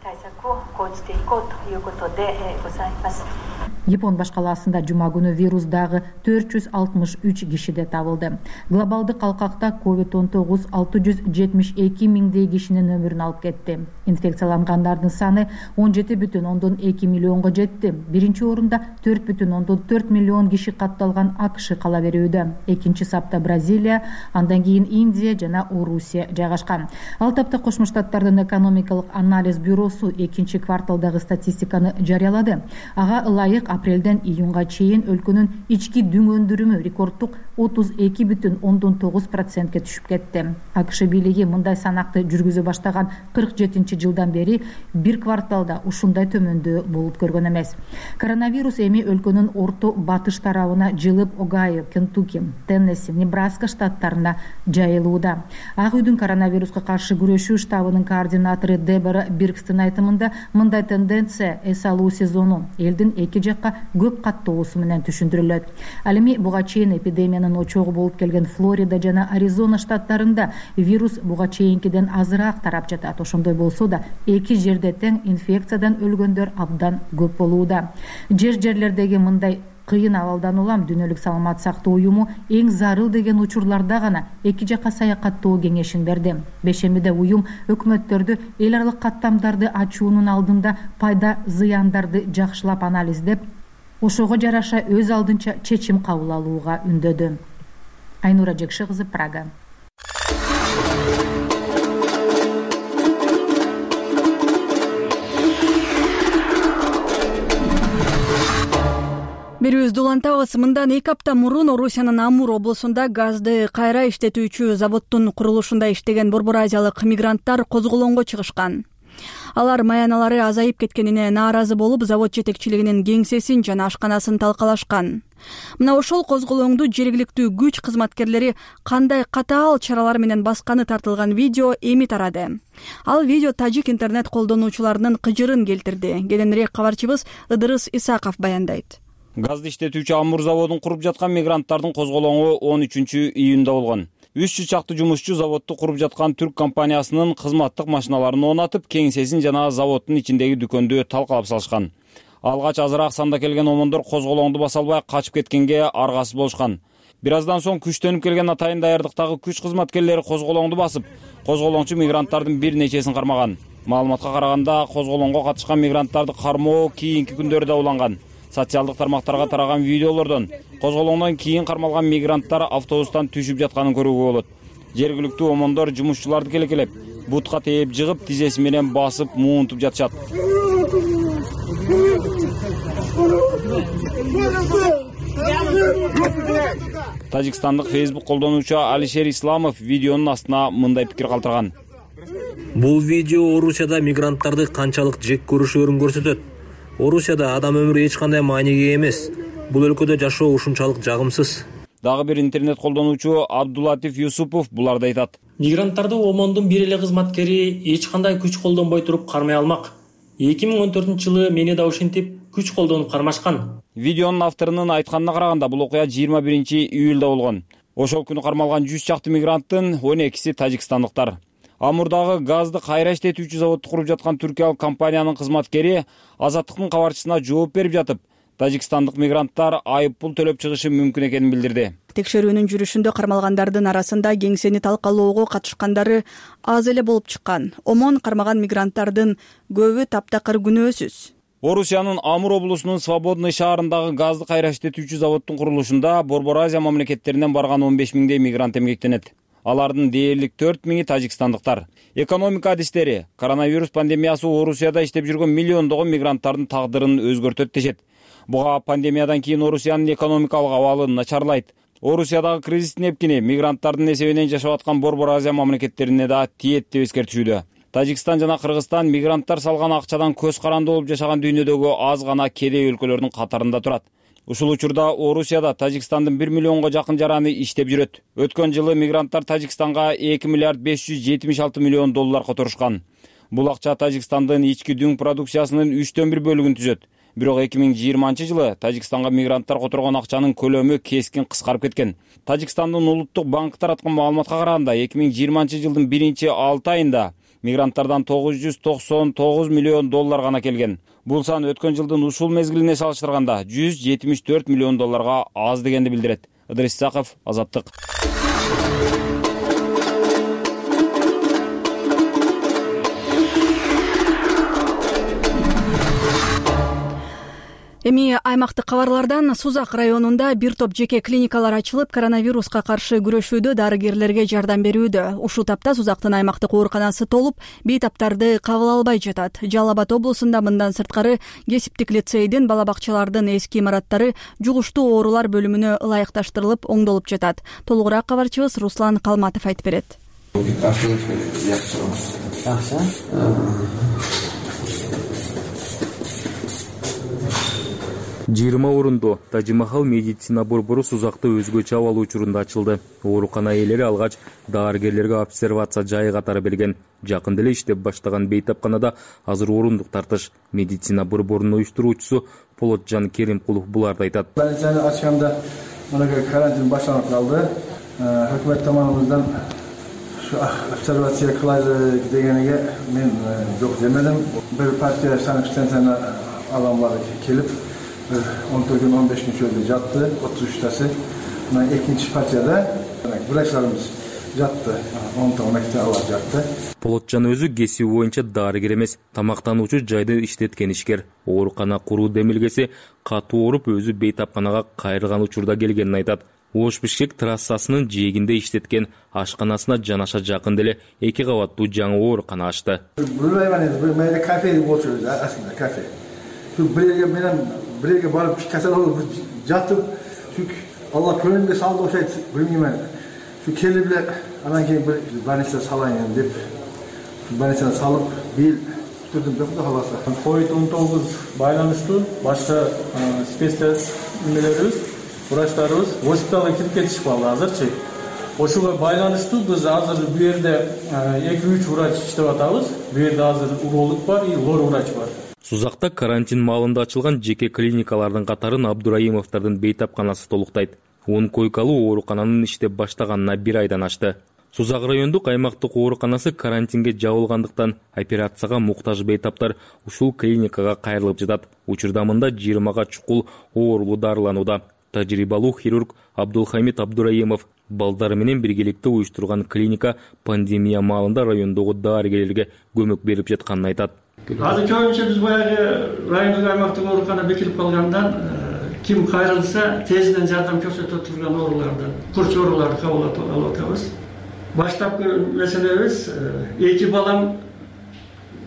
S15: Япон башкаласында жума күнү вирус дагы 463 кишиде табылды. Глобалдык алкакта COVID-19 672 миңдей кишинин өмүрүн алып кетти. Инфекциялангандардын саны 17,2 миллионго жетти. Биринчи орунда 4,4 миллион киши катталган АКШ кала берүүдө. Экинчи сапта Бразилия, андан кийин Индия жана Орусия жайгашкан. Ал тапта Кошмо Штаттардын экономикалык анализ бюросу экинчи кварталдагы статистиканы жарыялады. Ага ылайык апрелден июнга чейин өлкөнүн ички дүң өндүрүмү рекорддук 32,9%ке түшүп кетти. АКШ бийлиги мындай санакты жүргүзө баштаган 47-жылдан бери бир кварталда ушундай төмөндөө болуп көргөн эмес. Коронавирус эми өлкөнүн орто батыш тарабына жылып Огайо, Кентукки, Теннесси, Небраска штаттарына жайылууда. Ак үйдүн коронавируска каршы күрөшүү штабынын координатору Дебора Биркстин айтымында мындай тенденция эс алуу сезону элдин эки жакка көп каттоосу менен түшүндүрүлөт. Ал эми буга чейин эпидемиянын очогу болуп келген Флорида жана Аризона штаттарында вирус буга чейинкиден азыраак тарап жатат. Ошондой болсо да эки жерде тең инфекциядан өлгөндөр абдан көп болууда. Жерлердеги мындай кыйын абалдан улам Дүйнөлүк саламат сактоо уюму эң зарыл деген учурларда гана эки жакка саякаттоо кеңешин берди. Бешембиде уюм өкмөттөрдү эл аралык каттамдарды ачуунун алдында пайда зыяндарды жакшылап анализдеп, ошого жараша өз алдынча чечим кабыл алууга үндөдү. Айнура Жекши кызы, Прага.
S1: Берүүбүздү улантабыз. Мындан 2 апта мурун Орусиянын Амур облусунда газды кайра иштетүүчү заводдун курулушунда иштеген Борбор Азиялык мигранттар козголоңго чыгышкан. Алар маяналары азайып кеткенине нааразы болуп, завод жетекчилигинин кеңсесин жана ашканасын талкалашкан. Мына ошол козголоңду жергиликтүү күч кызматкерлери кандай катаал чаралар менен басканы тартылган видео эми тарады. Ал видео тажик интернет колдонуучуларынын кыжырын келтирди. Кененирээк кабарчыбыз Ыдырыс Исаков баяндайт.
S7: Газды иштетүүчү Амур заводун куруп жаткан мигранттардын козголоңу 13 июнда болгон. 300 чакты жумушчу заводду куруп жаткан түрк компаниясынын кызматтык машиналарын оонатып, кеңсесин жана заводдун ичиндеги дүкөндү талкалап салышкан. Алгач азыраак санда келген омондор козголоңду баса албай качып кеткенге аргасыз болушкан. Бир аздан соң күчтөнүп келген атайын даярдыктагы күч кызматкерлери козголоңду басып, козголоңчу мигранттардын бир нечесин кармаган. Маалыматка караганда, козголоңго катышкан мигранттарды кармоо кийинки күндөрдө уланган. Социалдык тармактарга тараган видеолордон козголоңдон кийин кармалган мигранттар автобустан түшүп жатканын көрүүгө болот. Жергиликтүү омондор жумушчуларды келекелеп, бутка тээп жыгып, тизеси менен басып, муунтуп жатышат. Тажикстандык Facebook колдонуучу Алишер Исламов видеонун астына мындай пикир калтырган.
S17: Бул видео Орусияда мигранттарды канчалык жек көрүшөөрүн көрсөтөт. Орусияда адам өмүрү эч кандай маанеге эмес. Бул өлкөдө жашоо ушунчалык жагымсыз.
S7: Дагы бир интернет колдонуучу Абдулатиф Юсупов буларды айтат.
S18: Мигранттарды омондун бир эле кызматкери эч кандай күч колдонбой туруп кармай алмак. 2014-жылы мени да ушинтип күч колдонуп кармашкан.
S7: Видеонун авторунун айтканына караганда, бул окуя 21 июлда болгон. Ошол күнү кармалган 100 чакты мигранттын 12си тажикстандыктар. Амурдагы газды кайра иштетүүчү заводду куруп жаткан түркиялык компаниянын кызматкери Азаттыктын кабарчысына жооп берип жатып, тажикстандык мигранттар айыппул төлөп чыгышы мүмкүн экенин билдирди.
S1: Текшерүүнүн жүрүшүндө кармалгандардын арасында кеңсени талкалоого катышкандары аз эле болуп чыккан. Омон кармаган мигранттардын көбү таптакыр күнөөсүз.
S7: Орусиянын Амур облусунун Свободный шаарындагы газды кайра иштетүүчү заводдун курулушунда Борбор Азия мамлекеттеринен барган 15 миңдей мигрант эмгектенет. Алардын дээрлик 4 миңи тажикстандыктар. Экономика адистери коронавирус пандемиясы Орусияда иштеп жүргөн миллиондогон мигранттардын тагдырын өзгөртөт дешет. Буга пандемиядан кийин Орусиянын экономикалык абалы начарлайт. Орусиядагы кризистин эпкини мигранттардын эсебинен жашап аткан Борбор Азия мамлекеттерине да тиет деп эскертишүүдө. Тажикстан жана Кыргызстан мигранттар салган акчадан көз каранды болуп жашаган дүйнөдөгү аз гана кедей өлкөлөрдүн катарында турат. Ушул учурда Орусияда Тажикстандын 1 миллионго жакын жараны иштеп жүрөт. Өткөн жылы мигранттар Тажикстанга 2 миллиард 576 миллион доллар которушкан. Бул акча Тажикстандын ички дүң продукциясынын 3/1 бөлүгүн түзөт. Бирок 2020-жылы Тажикстанга мигранттар которгон акчанын көлөмү кескин кыскарып кеткен. Тажикстандын улуттук банкы тараткан маалыматка караганда 2020-жылдын 1-6 айында мигранттардан 999 миллион доллар гана келген. Бул сан өткөн жылдын ушул мезгилине салыштырганда 174 миллион долларга аз дегенди билдирет. Ыдырис Исаков, Азаттык.
S1: Эми аймактык кабарлардан Сузак районунда бир топ жеке клиникалар ачылып, коронавируска каршы күрөшүүдө дарыгерлерге жардам берүүдө. Ушул тапта Сузактын аймактык ооруканасы толуп, бейтаптарды кабыл албай жатат. Жалал Абад облусунда мындан сырткары кесиптик лицейдин, бала бакчалардын эски имараттары жугуштуу оорулар бөлүмүнө ылайыкташтырылып, оңдолуп жатат. Толугураак кабарчыбыз Руслан Калматов айтып берет.
S19: 20 орунду Тажимахал медицина борбору Сузакта өзгөчө абал учурунда ачылды. Оорукана ээлери алгач дарыгерлерге обсервация жайы катары берген. Жакында эле иштеп баштаган бейтапканада азыр орундук тартыш. Медицина борборунун уюштуруучусу Полотжан Керимкулов буларды айтат.
S20: Больницаны ачканда мынакей карантин башталып калды. Өкмөт tomonidan обсервация кылайлы дегениге мен жок демедим. Бир партия санкцияны адамдар келип 14 gün 15 gün şöyle yattı, 33'tası. İkinci partiyada bıraklarımız yattı, 10 tane Allah yattı.
S19: Полотжан өзү кесиби боюнча дарыгер эмес, тамактануучу жайды иштеткен ишкер. Оорукана куруу демилгеси катуу ооруп өзү бейтапканага кайрылган учурда келгенин айтат. Ош-Бишкек трассасынын жээгинде иштеткен ашканасына жанаша жакында эле 2 кабаттуу жаңы оорукана ачты.
S20: Bir kafe oturuyoruz aslında kafe. Şu birege barıp kasal olup yatıp çünkü Allah könlümde saldı o şey bilmiyorum. Şu kelli bile anan keyin bir больница salayın dep şu больницаны salıp bil tuturdum da halasa.
S21: Covid-19 байланыштуу башка спецтест немелерибиz, врачтарыбыз госпиталга кирип кетишпалды азырчы. Ошого байланыштуу биз азыр бу жерде 2-3 врач иштеп атабыз. Бу жерде азыр уролог бар и лор врач бар.
S19: Сузакта карантин маалында ачылган жеке клиникалардын катарын Абдураимовдордун бейтапканасы толуктайт. 10 койкалуу оорукананын иштеп баштаганына 1 айдан ашты. Сузак райондук аймактык ооруканасы карантинге жабылгандыктан операцияга муктаж бейтаптар ушул клиникага кайрылып жатат. Учурда мында 20га чукул оорулуу дарыланууда. Тажрыйбалуу хирург Абдулхамид Абдураимов балдары менен биргеликте уюштурган клиника пандемия маалында райондогу дарыгерлерге көмөк берип жатканын айтат.
S21: Азыр көбүнчө биз баягы райондук аймактык оорукана бекилип калгандан ким кайрылса тезинен жардам көрсөтө турган ооруларды, курч ооруларды кабыл алып атабыз. Баштапкы маселебиз 2 балам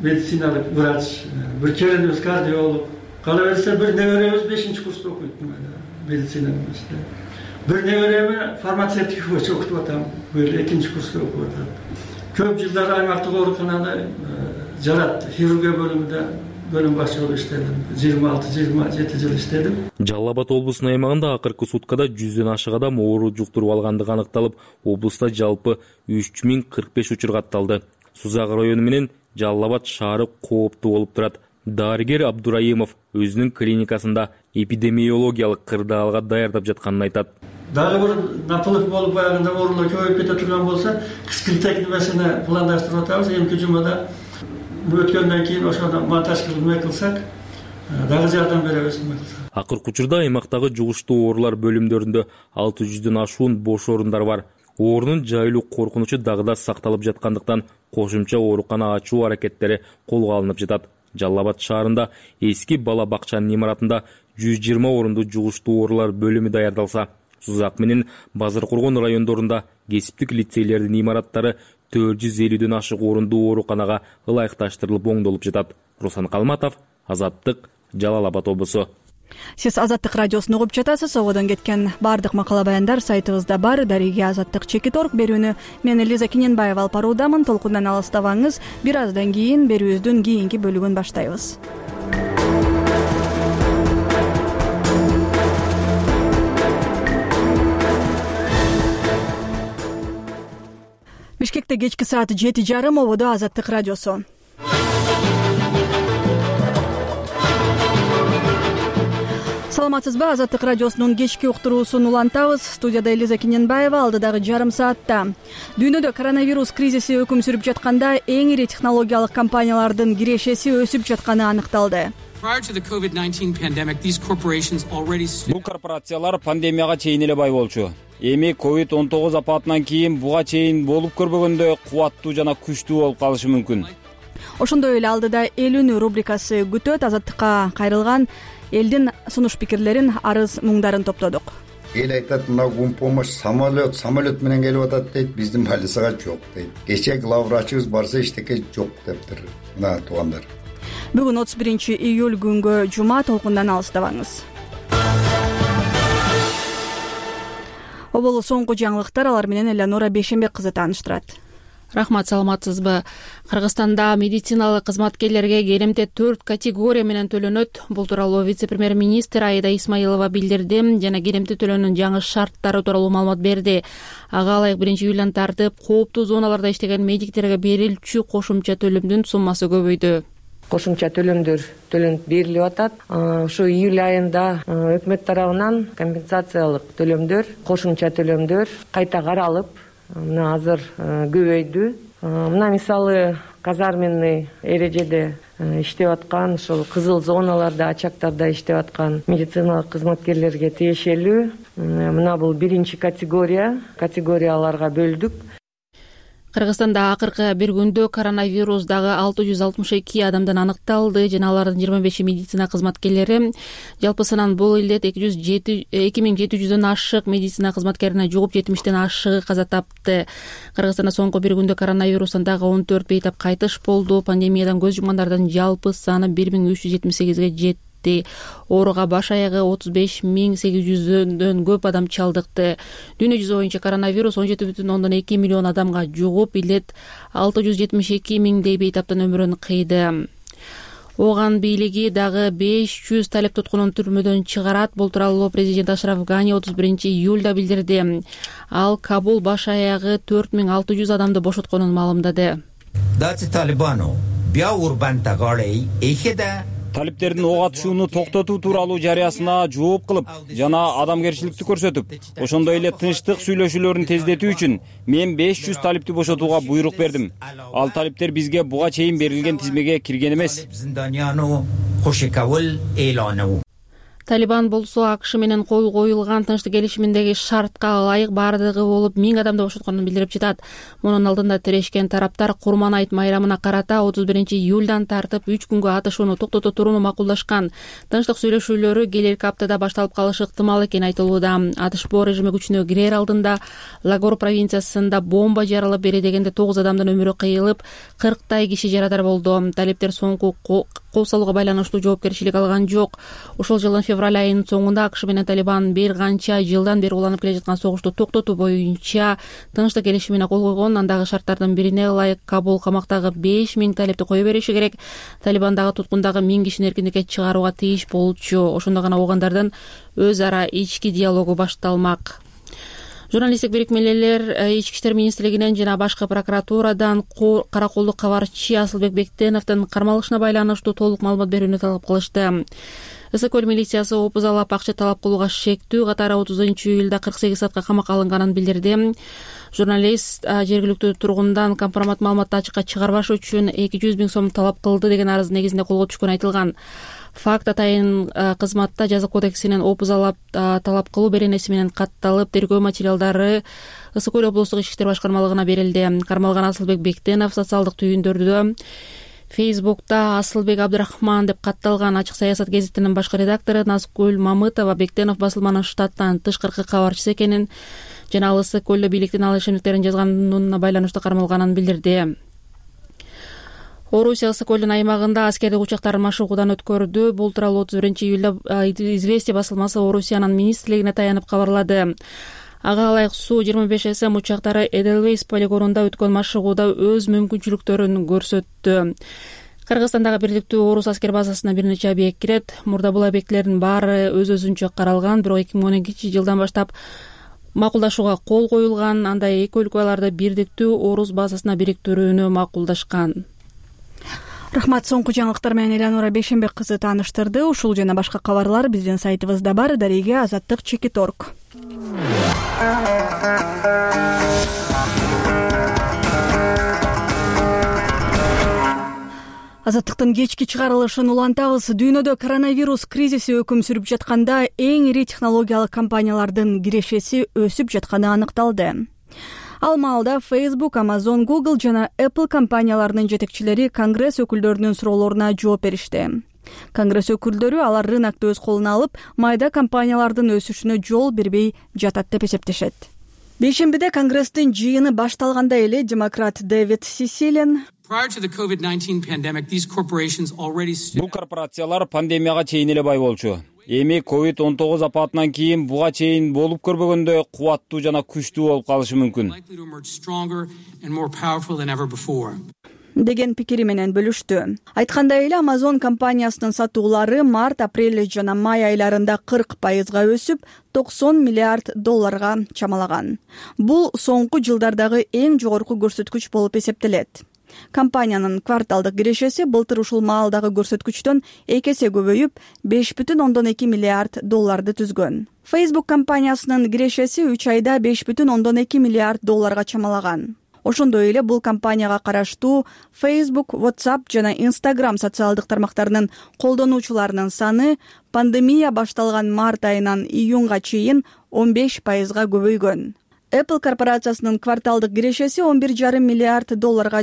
S21: медициналык врач, бир келинибиз кардиолог, кала берсе бир неберебиз 5-курста окуйт медицина боюнча. Бир небереме фармацевтика боюнча окутуп атам, бир 2-курста окуп атат. Көп жылдар аймактык ооруканада жаратты. Хирургия бөлүмүндө бөлүм башчы болуп иштедим. 26-27 жыл иштедим.
S19: Жалал Абад облусунун аймагында акыркы суткада 100дөн ашык адам оору жуктуруп алгандыгы аныкталып, облуста жалпы 3045 учур катталды. Сузак району менен Жалал Абад шаары кооптуу болуп турат. Дарыгер Абдураимов өзүнүн клиникасында эпидемиологиялык кырдаалга даярдап жатканын айтат.
S21: Дагы бир напылык болуп баягында оорулар көбөйүп кете турган болсо, кыскылтек нерсени пландаштырып атабыз. Эмки жумада өткөндөн кийин ошондо монтаж кылып кылсак, дагы жардам беребиз.
S19: Акыркы учурда аймактагы жугуштуу оорулар бөлүмдөрүндө 600дөн ашуун бош орундар бар. Оорунун жайылуу коркунучу дагы да сакталып жаткандыктан кошумча оорукана ачуу аракеттери колго алынып жатат. Жалал Абад шаарында эски бала бакчанын имаратында 120 орунду жугуштуу оорулар бөлүмү даярдалса, Сузак менен Базар Кургон райондорунда кесиптик лицейлердин имараттары 450дөн ашык орундуу ооруканага ылайыкташтырылып оңдолуп жатат. Руслан Калматов, Азаттык, Жалал Абад облусу.
S1: Сиз Азаттык радиосун угуп жатасыз. Ободон кеткен бардык макала баяндар сайтыбызда бар. Дареге Азаттык.org берүүнү мен Элиза Киненбаева алып баруудамын. Толкундан алыстабаңыз. Бир аздан кийин берүүбүздүн кийинки бөлүгүн баштайбыз. Бишкекте кечки саат 7:30 ободо Азаттык радиосу. Саламатсызбы? Азаттык радиосунун кечки уктуруусун улантабыз. Студияда Элиза Киненбаева. Алдыдагы жарым саатта дүйнөдө коронавирус кризиси өкүм сүрүп жатканда эң ири технологиялык компаниялардын кирешеси өсүп жатканы аныкталды.
S7: Бул корпорациялар пандемияга чейин эле бай болчу. Эми COVID-19 апатынан кийин буга чейин болуп көрбөгөндөй кубаттуу жана күчтүү болуп калышы мүмкүн.
S1: Ошондой эле алдыда элүүнү рубрикасы күтөт. Азаттыкка кайрылган элдин сунуш пикирлерин, арыз муңдарын топтодук.
S5: Эл айтат, мына помощь самолет менен келип атат дейт, биздин больницага жок дейт. Кечээ главврачыбыз барса эчтеке жок дептир. Мына туугандар.
S1: Бүгүн 31-июль күнгө жума. Толкундан алыстабаңыз. Оболу соңку жаңылыктар, алар менен Элеонора Бейшенбек кызы тааныштырат.
S4: Рахмат, саламатсызбы? Кыргызстанда медициналык кызматкерлерге келемте 4 категория менен төлөнөт. Бул тууралуу вице-премьер-министр Аида Исмаилова билдирди жана келемте төлөөнүн жаңы шарттары тууралуу маалымат берди. Ага ылайык 1-июлдан тартып кооптуу зоналарда иштеген медиктерге берилчү кошумча төлөмдүн суммасы көбөйдү.
S6: Кошумча төлөмдөр төлөнүп берилип атат. Ошо июль айында өкмөт тарабынан компенсациялык төлөмдөр, кошумча төлөмдөр кайта каралып, мына азыр көбөйдү. Мына мисалы казарменный эрежеде иштеп аткан, ошол кызыл зоналарда, очактарда иштеп аткан медициналык кызматкерлерге тиешелүү. Мына бул 1-категорияларга бөлдүк.
S4: Кыргызстанда акыркы бир күндө коронавирус дагы 662 адамдан аныкталды жана алардын 25 медицина кызматкерлери. Жалпысынан бул илдет 2700дөн ашык медицина кызматкерине жугуп 70тен ашыгы каза тапты. Кыргызстанда соңку бир күндө коронавирустан дагы 14 бейтап кайтыш болду. Пандемиядан көз жумгандардын жалпы саны 1378ге жетти. Ооруга баш аягы 35800дөн көп адам чалдыкты. Дүйнө жүзү боюнча коронавирус 17,2 миллион адамга жугуп, илет 672 миңдей бейтаптын өмүрүн кыйды. Оган бийлиги дагы 500 талеп туткунун түрмөдөн чыгарат. Бул тууралуу президент Ашраф Гани 31-июлда билдирди. Ал Кабул баш аягы 4600 адамды бошотконун маалымдады.
S7: Талиптердин ок атышууну токтотуу тууралуу жарыясына жооп кылып жана адамгерчиликти көрсөтүп, ошондой эле тынчтык сүйлөшүүлөрүн тездетүү үчүн мен 500 талипти бошотууга буйрук бердим. Ал талиптер бизге буга чейин берилген тизмеге кирген эмес.
S4: Талибан болсо АКШ менен кол коюлган тынчтык келишиминдеги шартка ылайык бардыгы болуп 1000 адамды бошотконун билдирип жатат. Мунун алдында тирешкен тараптар Курман айт майрамына карата 31-июлдан тартып 3 күнгө атышууну токтото турууну макулдашкан. Тынчтык сүйлөшүүлөрү келерки аптада башталып калышы ыктымал экени айтылууда. Атышпоо режими күчүнө кирер алдында Лагор провинциясында бомба жарылып, бери дегенде 9 адамдын өмүрү кыйылып, 40 киши жарадар болду. Талиптер соңку кол салууга байланыштуу жоопкерчилик алган жок. Ошол жылдын февраль айынын соңунда АКШ менен Талибан бир канча жылдан бери уланып келе жаткан согушту токтотуу боюнча тынчтык келишимине кол койгон. Андагы шарттардын бирине ылайык Кабул камактагы 5000 талипти кое бериши керек. Талибан дагы туткундагы 1000 кишини эркиндикке чыгарууга тийиш болчу. Ошондо гана оогандардын өз ара ички диалогу башталмак. Журналисттик бирикмелер Ички иштер министрлигинен жана башкы прокуратурадан караколдук кабарчы Асылбек Бектеновдун кармалышына байланыштуу толук маалымат берүүнү талап кылышты. Ысык көл милициясы опузалап акча талап кылууга шектүү катары 30-июлда 48 саатка камакка алынганын билдирди. Журналист жергиликтүү тургундан компромат маалыматты ачыкка чыгарбаш үчүн 200 000 сом талап кылды деген арыз негизинде колго түшкөнү айтылган. Факт атайын кызматта жаза кодексинен опузалап талап кылуу беренеси менен катталып, тергөө материалдары Ысык көл облустук ички иштер башкармалыгына берилди. Кармалган Асылбек Бектенов социалдык түйүндөрдө Фейсбукта Асылбек Абдрахман деп катталган Ачык саясат гезитинин башкы редактору Назгүл Мамытова Бектенов басылманын штаттан тышкыркы кабарчысы экенин жана ал ысык көлдө бийликтин ал ишенимдерин жазганына байланыштуу кармалганын билдирди. Орусия ысык көлдүн аймагында аскердик учактарын машыгуудан өткөрдү. Бул тууралуу 31-июлда «Известия» басылмасы Орусиянын министрлигине таянып кабарлады. Ага ылайык Су 25 СМ учактары Эдельвейс полигонунда өткөн машыгууда өз мүмкүнчүлүктөрүн көрсөттү. Кыргызстандагы бирликтүү орус аскер базасына бир нече объект кирет. Мурда бул объектилердин баары өз-өзүнчө каралган, бирок 2012-жылдан баштап макулдашууга кол коюлган. Андай эки өлкө аларды бирдиктүү орус базасына бириктирүүнү макулдашкан.
S1: Рахмат. Соңку жаңылыктар менен Элеонора Бейшенбек кызы тааныштырды. Ушул жана башка кабарлар биздин сайтыбызда бар. Дареге Азаттык.org. Азаттыктын кечки чыгарылышын улантабыз. Дүйнөдө коронавирус кризиси өкүм сүрүп жатканда эң ири технологиялык компаниялардын кирешеси өсүп жатканы аныкталды. Ал маалда Facebook, Amazon, Google жана Apple компанияларынын жетекчилери Конгресс өкүлдөрүнүн суроолоруна жооп беришти. Конгресс өкүлдөрү алар рынокты өз колуна алып, майда компаниялардын өсүшүнө жол бербей жатат деп эсептешет. Бейшембиде Конгресстин жыйыны башталганда эле демократ Дэвид Сисилен
S7: бул корпорациялар пандемияга чейин эле бай болчу. Эми COVID-19 апатынан кийин буга чейин болуп көрбөгөндөй кубаттуу жана күчтүү болуп калышы мүмкүн
S1: деген пикири менен бөлүштү. Айткандай эле Amazon компаниясынын сатуулары март, апрель жана май айларында 40% өсүп, $90 миллиард чамалаган. Бул соңку жылдардагы эң жогорку көрсөткүч болуп эсептелет. Компаниянын кварталдык кирешеси былтыр ушул маалдагы көрсөткүчтөн 2 эсе көбөйүп, $5.2 миллиард түзгөн. Facebook компаниясынын кирешеси 3 айда $5.2 миллиард чамалаган. Ошондой эле бул компанияга караштуу Facebook, WhatsApp жана Instagram социалдык тармактарынын колдонуучуларынын саны пандемия башталган март айынан июнга чейин 15% көбөйгөн. Apple корпорациясынын кварталдык кирешеси $11.5 миллиард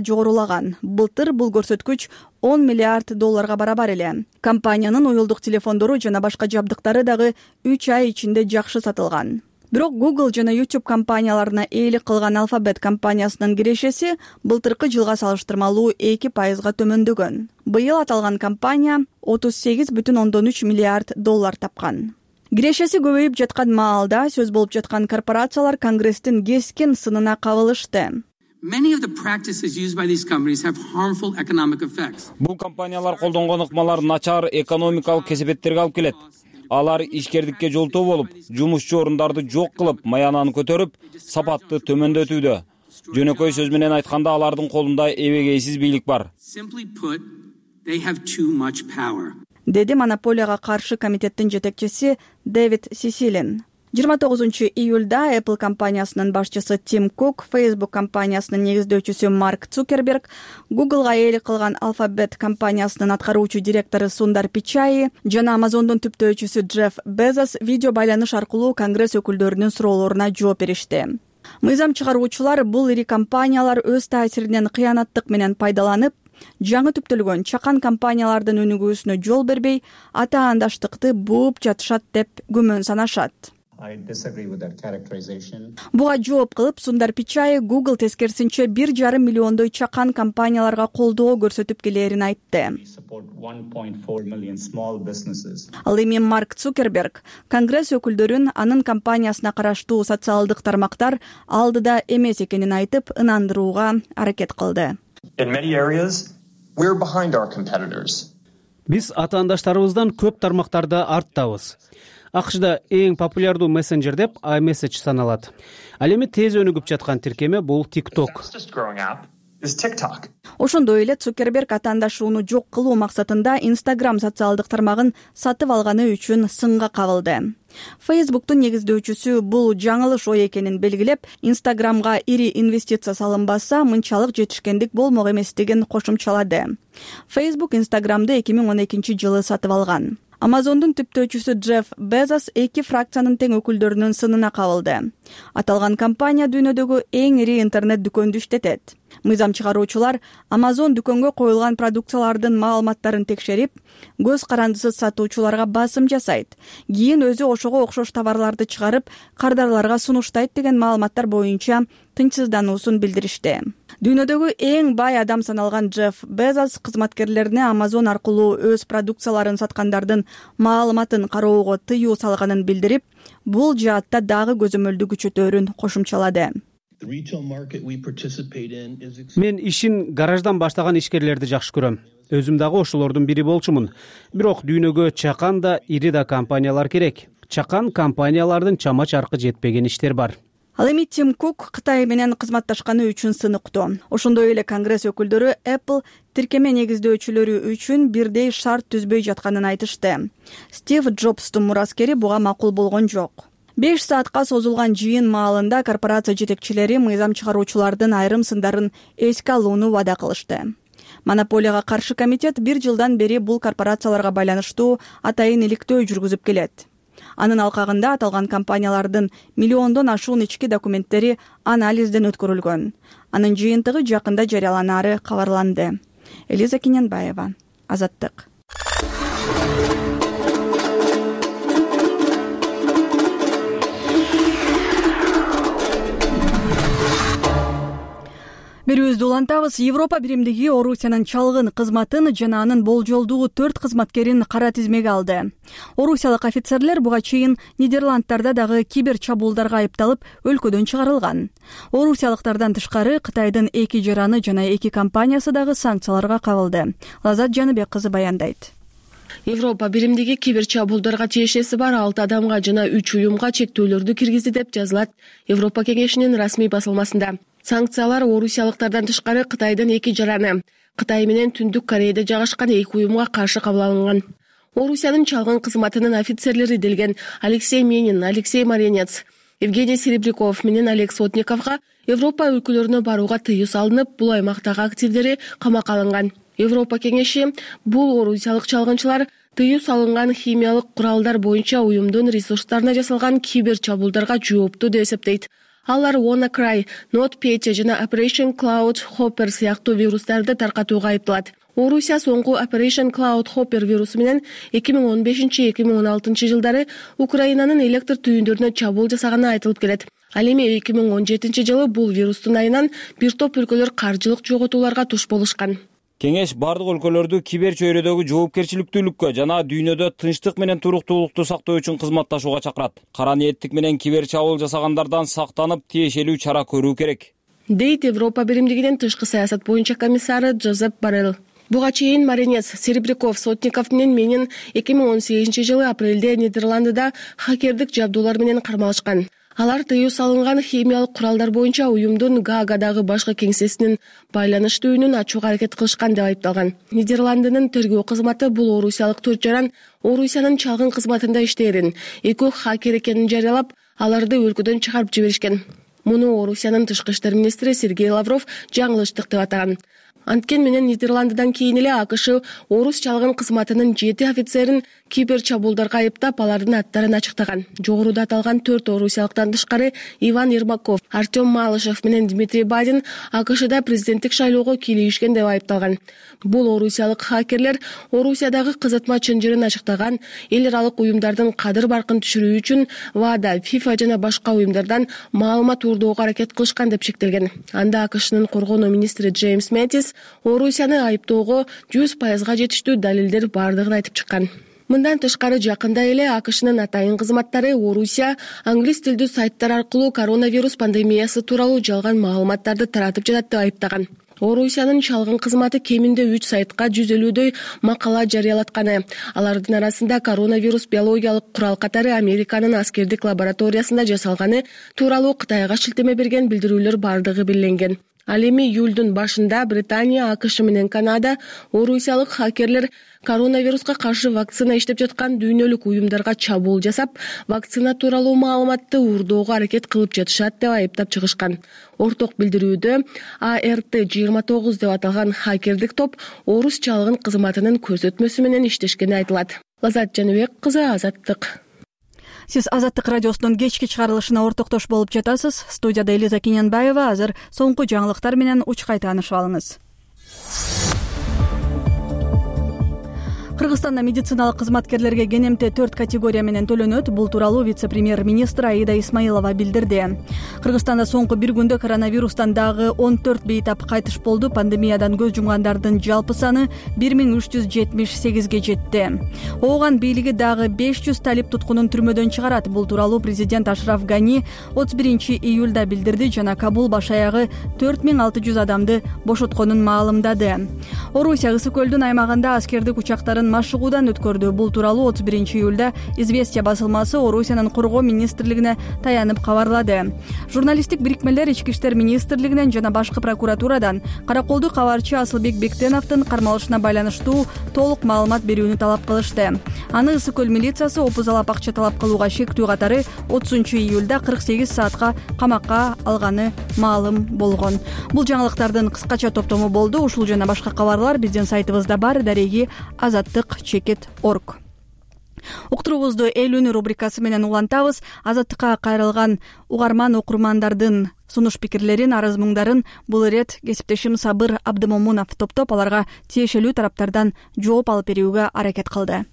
S1: жогорулаган. Былтыр бул көрсөткүч $10 миллиард барабар эле. Компаниянын уюлдук телефондору жана башка жабдыктары дагы 3 ай ичинде жакшы сатылган. Бирок Google жана YouTube компанияларына ээлик кылган Alphabet компаниясынын кирешеси былтыркы жылга салыштырмалуу 2% төмөндөгөн. Быйыл аталган компания $38.3 миллиард тапкан. Кирешеси көбөйүп жаткан маалда сөз болуп жаткан корпорациялар Конгресстин кескин сынына кабылышты.
S7: Бул компаниялар колдонгон ыкмалар начар экономикалык кесепеттерге алып келет. Алар ишкердикке жолтоо болуп, жумушчу орундарды жок кылып, маянаны көтөрүп, сапатты төмөндөтүүдө. Жөнөкөй сөз менен айтканда алардын колунда эбегейсиз бийлик бар.
S1: Деди монополияга каршы комитеттин жетекчиси Дэвид Сисилен. 29-июлда Apple компаниясынын башчысы Тим Кук, Facebook компаниясынын негиздөөчүсү Марк Цукерберг, Googleга ээлик кылган Alphabet компаниясынын аткаруучу директору Сундар Пичай жана Amazondун түптөөчүсү Джефф Безос видео байланыш аркылуу Конгресс өкүлдөрүнүн суроолоруна жооп беришти. Мыйзам чыгаруучулар бул ири компаниялар өз таасиринен кыянаттык менен пайдаланып, жаңы түптөлгөн чакан компаниялардын өнүгүүсүнө жол бербей, атаандаштыкты бууп жатышат деп күмөн санашат. Буга жооп кылып, Сундар Пичай Google тескерисинче 1,5 миллиондой чакан компанияларга колдоо көрсөтүп келерин айтты. Ал эми Марк Цукерберг Конгресс өкүлдөрүн анын компаниясына караштуу социалдык тармактар алдыда эмес экенин айтып, ынандырууга аракет кылды.
S8: Биз атаандаштарыбыздан көп тармактарда арттабыз. АКШда эң популярдуу мессенджер деп iMessage саналат. Ал эми тез өнүгүп жаткан тиркеме бул TikTok. Ошондой эле Цукерберг атаандашууну жок кылуу максатында Instagram социалдык тармагын сатып алганы үчүн сынга кабылды. Facebooktун негиздөөчүсү бул жаңылыш ой экенин белгилеп, Instagramга ири инвестиция салынбаса, мынчалык жетишкендик болмок эместигин кошумчалады. Facebook Instagramды 2012-жылы сатып алган. Amazondун түптөөчүсү Джефф Безос эки фракциянын тең өкүлдөрүнүн сынына кабылды. Аталган компания дүйнөдөгү эң ири интернет дүкөндү иштетет. Мыйзам чыгаруучулар Amazon дүкөнгө коюлган продукциялардын маалыматтарын текшерип, көз карандысыз сатуучуларга басым жасайт. Кийин өзү ошого окшош товарларды чыгарып, кардарларга сунуштайт деген маалыматтар боюнча тынчсыздануусун билдиришти. Дүйнөдөгү эң бай адам саналган Джефф Безос кызматкерлерине Amazon аркылуу өз продукцияларын саткандардын маалыматын кароого тыюу салганын билдирип, бул жаатта дагы көзөмөлдү күчөтөөрүн кошумчалады.
S10: Мен ишин гараждан баштаган ишкерлерди жакшы көрөм. Өзүм дагы ошолордун бири болчумун. Бирок дүйнөгө чакан да, ири да компаниялар керек. Чакан компаниялардын чама чаркы жетпеген иштер бар.
S8: Ал эми Тим Кук Кытай менен кызматташканы үчүн сыныктуу. Ошондой эле Конгресс өкүлдөрү Apple тиркеме негиздөөчүлөрү үчүн бирдей шарт түзбөй жатканын айтышты. Стив Джобстун мураскери буга макул болгон жок. 5 саатка созулган жыйын маалында корпорация жетекчилери мыйзам чыгаруучулардын айрым сындарын эске алууну вада кылышты. Монополияга каршы комитет 1 жылдан бери бул корпорацияларга байланыштуу атайын иликтөө жүргүзүп келет. Анын алкагында аталган компаниялардын миллиондон ашуун ички документтери анализден өткөрүлгөн. Анын жыйынтыгы жакында жарыяланары кабарланды. Элиза Кененбаева, Азаттык. Берүүбүздү улантабыз. Европа биримдиги Орусиянын чалгын кызматын жана анын болжолдуу 4 кызматкерин кара тизмеге алды. Орусиялык офицерлер буга чейин Нидерландтарда дагы кибер чабуулдарга айыпталып, өлкөдөн чыгарылган. Орусиялыктардан тышкары Кытайдын 2 жараны жана 2 компаниясы дагы санкцияларга кабылды. Лазат Жаныбек кызы баяндайт.
S22: Европа биримдиги кибер чабуулдарга тиешеси бар 6 адамга жана 3 уюмга чектөөлөрдү киргизди деп жазылат Европа кеңешинин расмий басылмасында. Санкциялар орусиялыктардан тышкары Кытайдын 2 жараны, Кытай менен Түндүк Кореяда жайгашкан 2 уюмга каршы кабыл алынган. Орусиянын чалгын кызматынын офицерлери делген Алексей Менин, Алексей Маренец, Евгений Серебряков менен Олег Сотниковго Европа өлкөлөрүнө барууга тыюу салынып, бул аймактагы активдери камакка алынган. Европа кеңеши бул орусиялык чалгынчылар тыюу салынган химиялык куралдар боюнча уюмдун ресурстарына жасалган кибер чабуулдарга жооптуу деп эсептейт. Алар WannaCry, NotPetya жана Operation Cloud Hopper сыяктуу вирустарды таркатууга айыпталат. Орусия соңку Operation Cloud Hopper вирусу менен 2015-2016 жылдары Украинанын электр түйүндөрүнө чабуул жасаганы айтылып келет. Ал эми 2017 жылы бул вирустун айынан бир топ өлкөлөр каржылык жоготууларга туш болушкан.
S7: Кеңеш бардык өлкөлөрдү кибер чөйрөдөгү жоопкерчиликтүүлүккө жана дүйнөдө тынчтык менен туруктуулукту сактоо үчүн кызматташууга чакырат. Кара ниеттик менен кибер чабуул жасагандардан сактанып, тиешелүү чара көрүү керек,
S22: дейт Европа биримдигинин тышкы саясат боюнча комиссары Джозеп Боррелл. Буга чейин Маренец, Серебряков, Сотников менен Менин 2018 жылы апрелде Нидерландыда хакердик жабдуулар менен кармалышкан. Алар тыюу салынган химиялык куралдар боюнча уюмдун Гаагадагы башкы кеңсесинин байланыш түйүнүн ачууга аракет кылышкан деп айыпталган. Нидерландынын тергөө кызматы бул орусиялык 4 жаран Орусиянын чалгын кызматында иштээрин, 2 хакер экенин жарыялап, аларды өлкөдөн чыгарып жиберишкен. Муну Орусиянын тышкы иштер министри Сергей Лавров жаңылыштык деп атаган. Анткен менен Нидерландыдан кийин эле АКШ орус чалгын кызматынын 7 офицерин кибер чабуулдарга айыптап, алардын аттарын ачыктаган. Жогоруда аталган 4 орусиялыктан тышкары Иван Ермаков, Артем Малышев менен Дмитрий Бадин АКШда президенттик шайлоого кийлигишкен деп айыпталган. Бул орусиялык хакерлер Орусиядагы кызытма чынжырын ачыктаган, эл аралык уюмдардын кадыр баркын түшүрүү үчүн ВАДА, ФИФА жана башка уюмдардан маалымат уурдоого аракет кылышкан деп шектелген. Анда АКШнын коргонуу министри Джеймс Мэттис Орусияны айыптоого 100% жетиштүү далилдер бардыгын айтып чыккан. Мындан тышкары жакында эле АКШнын атайын кызматтары Орусия англис тилдүү сайттар аркылуу коронавирус пандемиясы тууралуу жалган маалыматтарды таратып жатат деп айыптаган. Орусиянын чалгын кызматы кеминде 3 сайтка 150дөй макала жарыялатканы. Алардын арасында коронавирус биологиялык курал катары Американын аскердик лабораториясында жасалганы тууралуу Кытайга шилтеме берген билдирүүлөр бардыгы белгиленген. Ал эми июлдун башында Британия, АКШ менен Канада орусиялык хакерлер коронавируска каршы вакцина иштеп жаткан дүйнөлүк уюмдарга чабуул жасап, вакцина тууралуу маалыматты уурдоого аракет кылып жатышат деп айыптап чыгышкан. Орток билдирүүдө ART-29 деп аталган хакердик топ орус чалгын кызматынын көрсөтмөсү менен иштешкени айтылат. Лазат Жаныбек кызы, Азаттык.
S1: Сиз Азаттык радиосунун кечки чыгарылышына ортоктош болуп жатасыз. Студияда Элиза Кененбаева. Азыр соңку жаңылыктар менен учкай таанышып алыңыз. Кыргызстанда медициналык кызматкерлерге кенемте 4 категория менен төлөнөт. Бул тууралуу вице-премьер-министр Аида Исмаилова билдирди. Кыргызстанда соңку бир күндө коронавирустан дагы 14 бейтап кайтыш болду. Пандемиядан көз жумгандардын жалпы саны 1378ге жетти. Ооган бийлиги дагы 500 талип туткунун түрмөдөн чыгарат. Бул тууралуу президент Ашраф Гани 31 июлда билдирди жана Кабул баш аягы 4600 адамды бошотконун маалымдады. Орусия Ысык көлдүн аймагында аскердик учактарын машыгуудан өткөрдү. Бул тууралуу 31 июлда Известия басылмасы Орусиянын коргоо министрлигине таянып кабарлады. Журналисттик бирикмелер Ички иштер министрлигинен жана башкы прокуратурадан караколду кабарчы Асылбек Бектеновдун кармалышына байланыштуу толук маалымат берүүнү талап кылышты. Аны Ысык көл милициясы опузалап акча талап кылууга шектүү катары 30 июлда 48 саатка камакка алганы маалым болгон. Бул жаңылыктардын кыскача топтому болду. Ушул жана башка кабарлар биздин сайтыбызда бар. Дареги azattik.org. Уктуруубузду эл үнү рубрикасы менен улантабыз. Азаттыкка кайрылган угарман окурмандардын сунуш пикирлерин, арыз муңдарын бул ирет кесиптешим Сабыр Абдымомунов топтоп аларга тиешелүү тараптардан жооп алып берүүгө аракет кылды.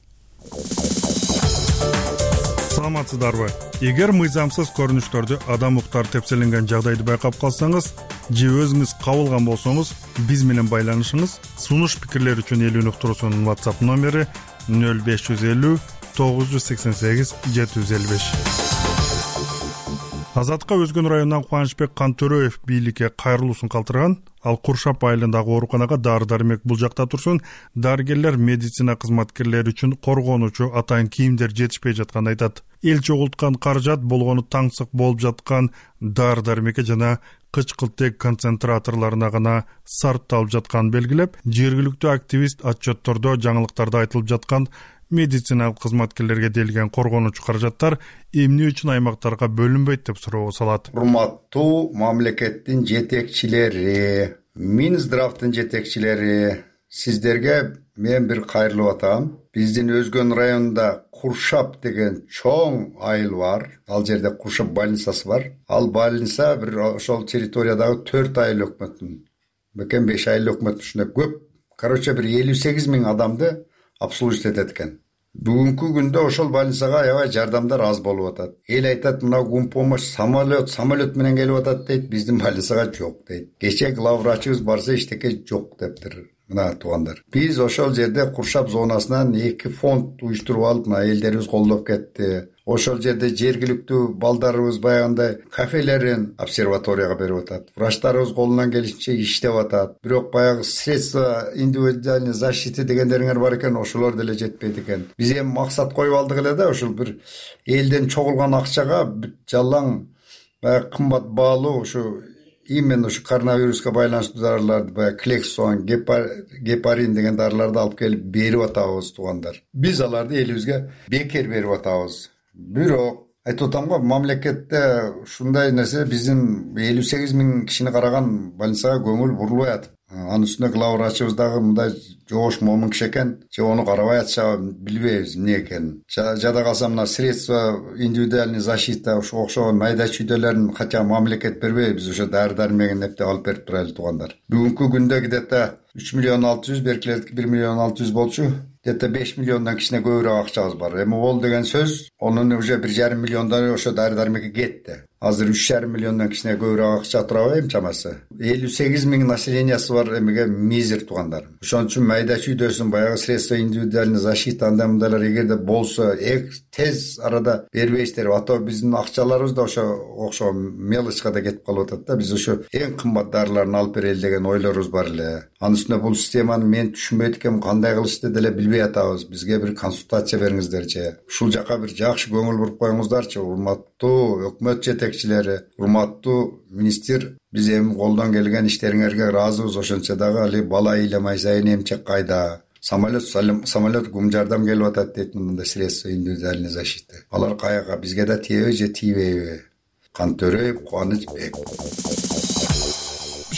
S9: Саламатсыздарбы? Эгер мыйзамсыз көрүнүштөрдү адам уктар тепселенген жагдайды байкап калсаңыз же өзүңүз кабылган болсоңуз, биз менен байланышыңыз. Сунуш пикирлер үчүн эл үнү уктуруусунун WhatsApp номери 0550 988 755. Азаттыкка Өзгөн районунан Кубанычбек Кантөрөев бийликке кайрылуусун калтырган. Ал Куршап айылындагы ооруканага дары-дармек булжакта турсун, дарыгерлер медицина кызматкерлери үчүн коргонуучу атайын кийимдер жетишпей жатканын айтат. Эл чогулткан каражат болгону таңсык болуп жаткан дары-дармекке жана кычкылтек концентраторлоруна гана сарпталып жатканын белгилеп, жергиликтүү активист отчеттордо жаңылыктарда айтылып жаткан медициналык кызматкерлерге делген коргонуучу каражаттар эмне үчүн аймактарга бөлүнбөйт деп суроо салат.
S5: Урматтуу мамлекеттин жетекчилери, Минздравдын жетекчилери, сиздерге мен бир кайрылып атам. Биздин Өзгөн районунда Куршап деген чоң айыл бар. Ал жерде Куршап больницасы бар. Ал больница бир ошол территориядагы 4 айыл өкмөттүн, бекен 5 айыл өкмөттүн ушундай көп. Короче, бир 58 000 адамды обслуживать этет экен. Бүгүнкү күндө ошол больницага аябай жардамдар аз болуп атат. Эл айтат, мына гумпомощь самолет менен келип атат дейт, биздин больницага жок дейт. Кече главврачыбыз барса иштеке жок дептир. Мына туугандар, биз ошол жерде Куршап зонасынан 2 фонд уюштуруп алып, мына элдерибиз колдоп кетти. Ошол жерде жергиликтүү балдарыбыз баягындай кафелерин обсерваторияга берип атат. Врачтарыбыз колунан келишинче иштеп атат. Бирок баягы средства индивидуальной защиты дегендериңер бар экен, ошолор деле жетпейт экен. Биз эми максат коюп алдык эле да, ошол бир элден чогулган акчага жалаң баягы кымбат баалуу ушу именно ушу коронавируска байланыштуу дарыларды, баягы Клексуан, гепарин деген дарыларды алып келип берип атабыз туугандар. Биз аларды элибизге бекер берип атабыз. Бирок айтып атам го, мамлекетте ушундай нерсе биздин 58 000 кишини караган больницага көңүл бурулбай атат. Анын үстүнө главврачыбыз дагы мындай жоош момун киши экен, же ону карабай атышабы билбейбиз эмне экенин. Жада калса мына средства индивидуальной защита ушу окшогон майда чүйдөлөрүн кача мамлекет бербей, биз ошо дары-дармегин эптеп алып берип турайлы туугандар. Бүгүнкү күндө где-то 3 600 000, беркилердики 1 600 000 болчу. Где-то 5 миллиондан кичине көбүрөөк акчабыз бар. Эми ол деген сөз, онун уже 1,5 миллиондон ошо дары-дармекке кетти. Азыр 3,5 миллиондан кичине көбүрөөк акча турабы эми чамасы. 58 000 населениясы бар эмеге мизер туугандар. Ошон үчүн майда чүйдөсүн баягы средства индивидуальной защиты андай мындайлар эгерде болсо тез арада бербейсиздер. Ато биздин акчаларыбыз да ошо окшогон мелочка да кетип калып атат да. Биз ошо эң кымбат дарыларын алып берели деген ойлорубуз бар эле. Анын үстүнө бул системаны мен түшүнбөйт экенмин, кандай кылышты деле билбей атабыз. Бизге бир консультация бериңиздерчи. Ушул жака бир жакшы көңүл буруп коюңуздарчы. Урматтуу өкмөт жетекчилери, урматтуу министр, биз эми колдон келген иштериңерге ыраазыбыз. Ошончо дагы али бала ыйламай сайын эмчек кайда? Самолет гум жардам келип атат дейт, мындай средства индивидуальной защиты. Алар каяка, бизге да тиеби же тийбейби? Кантөрөев Кубанычбек.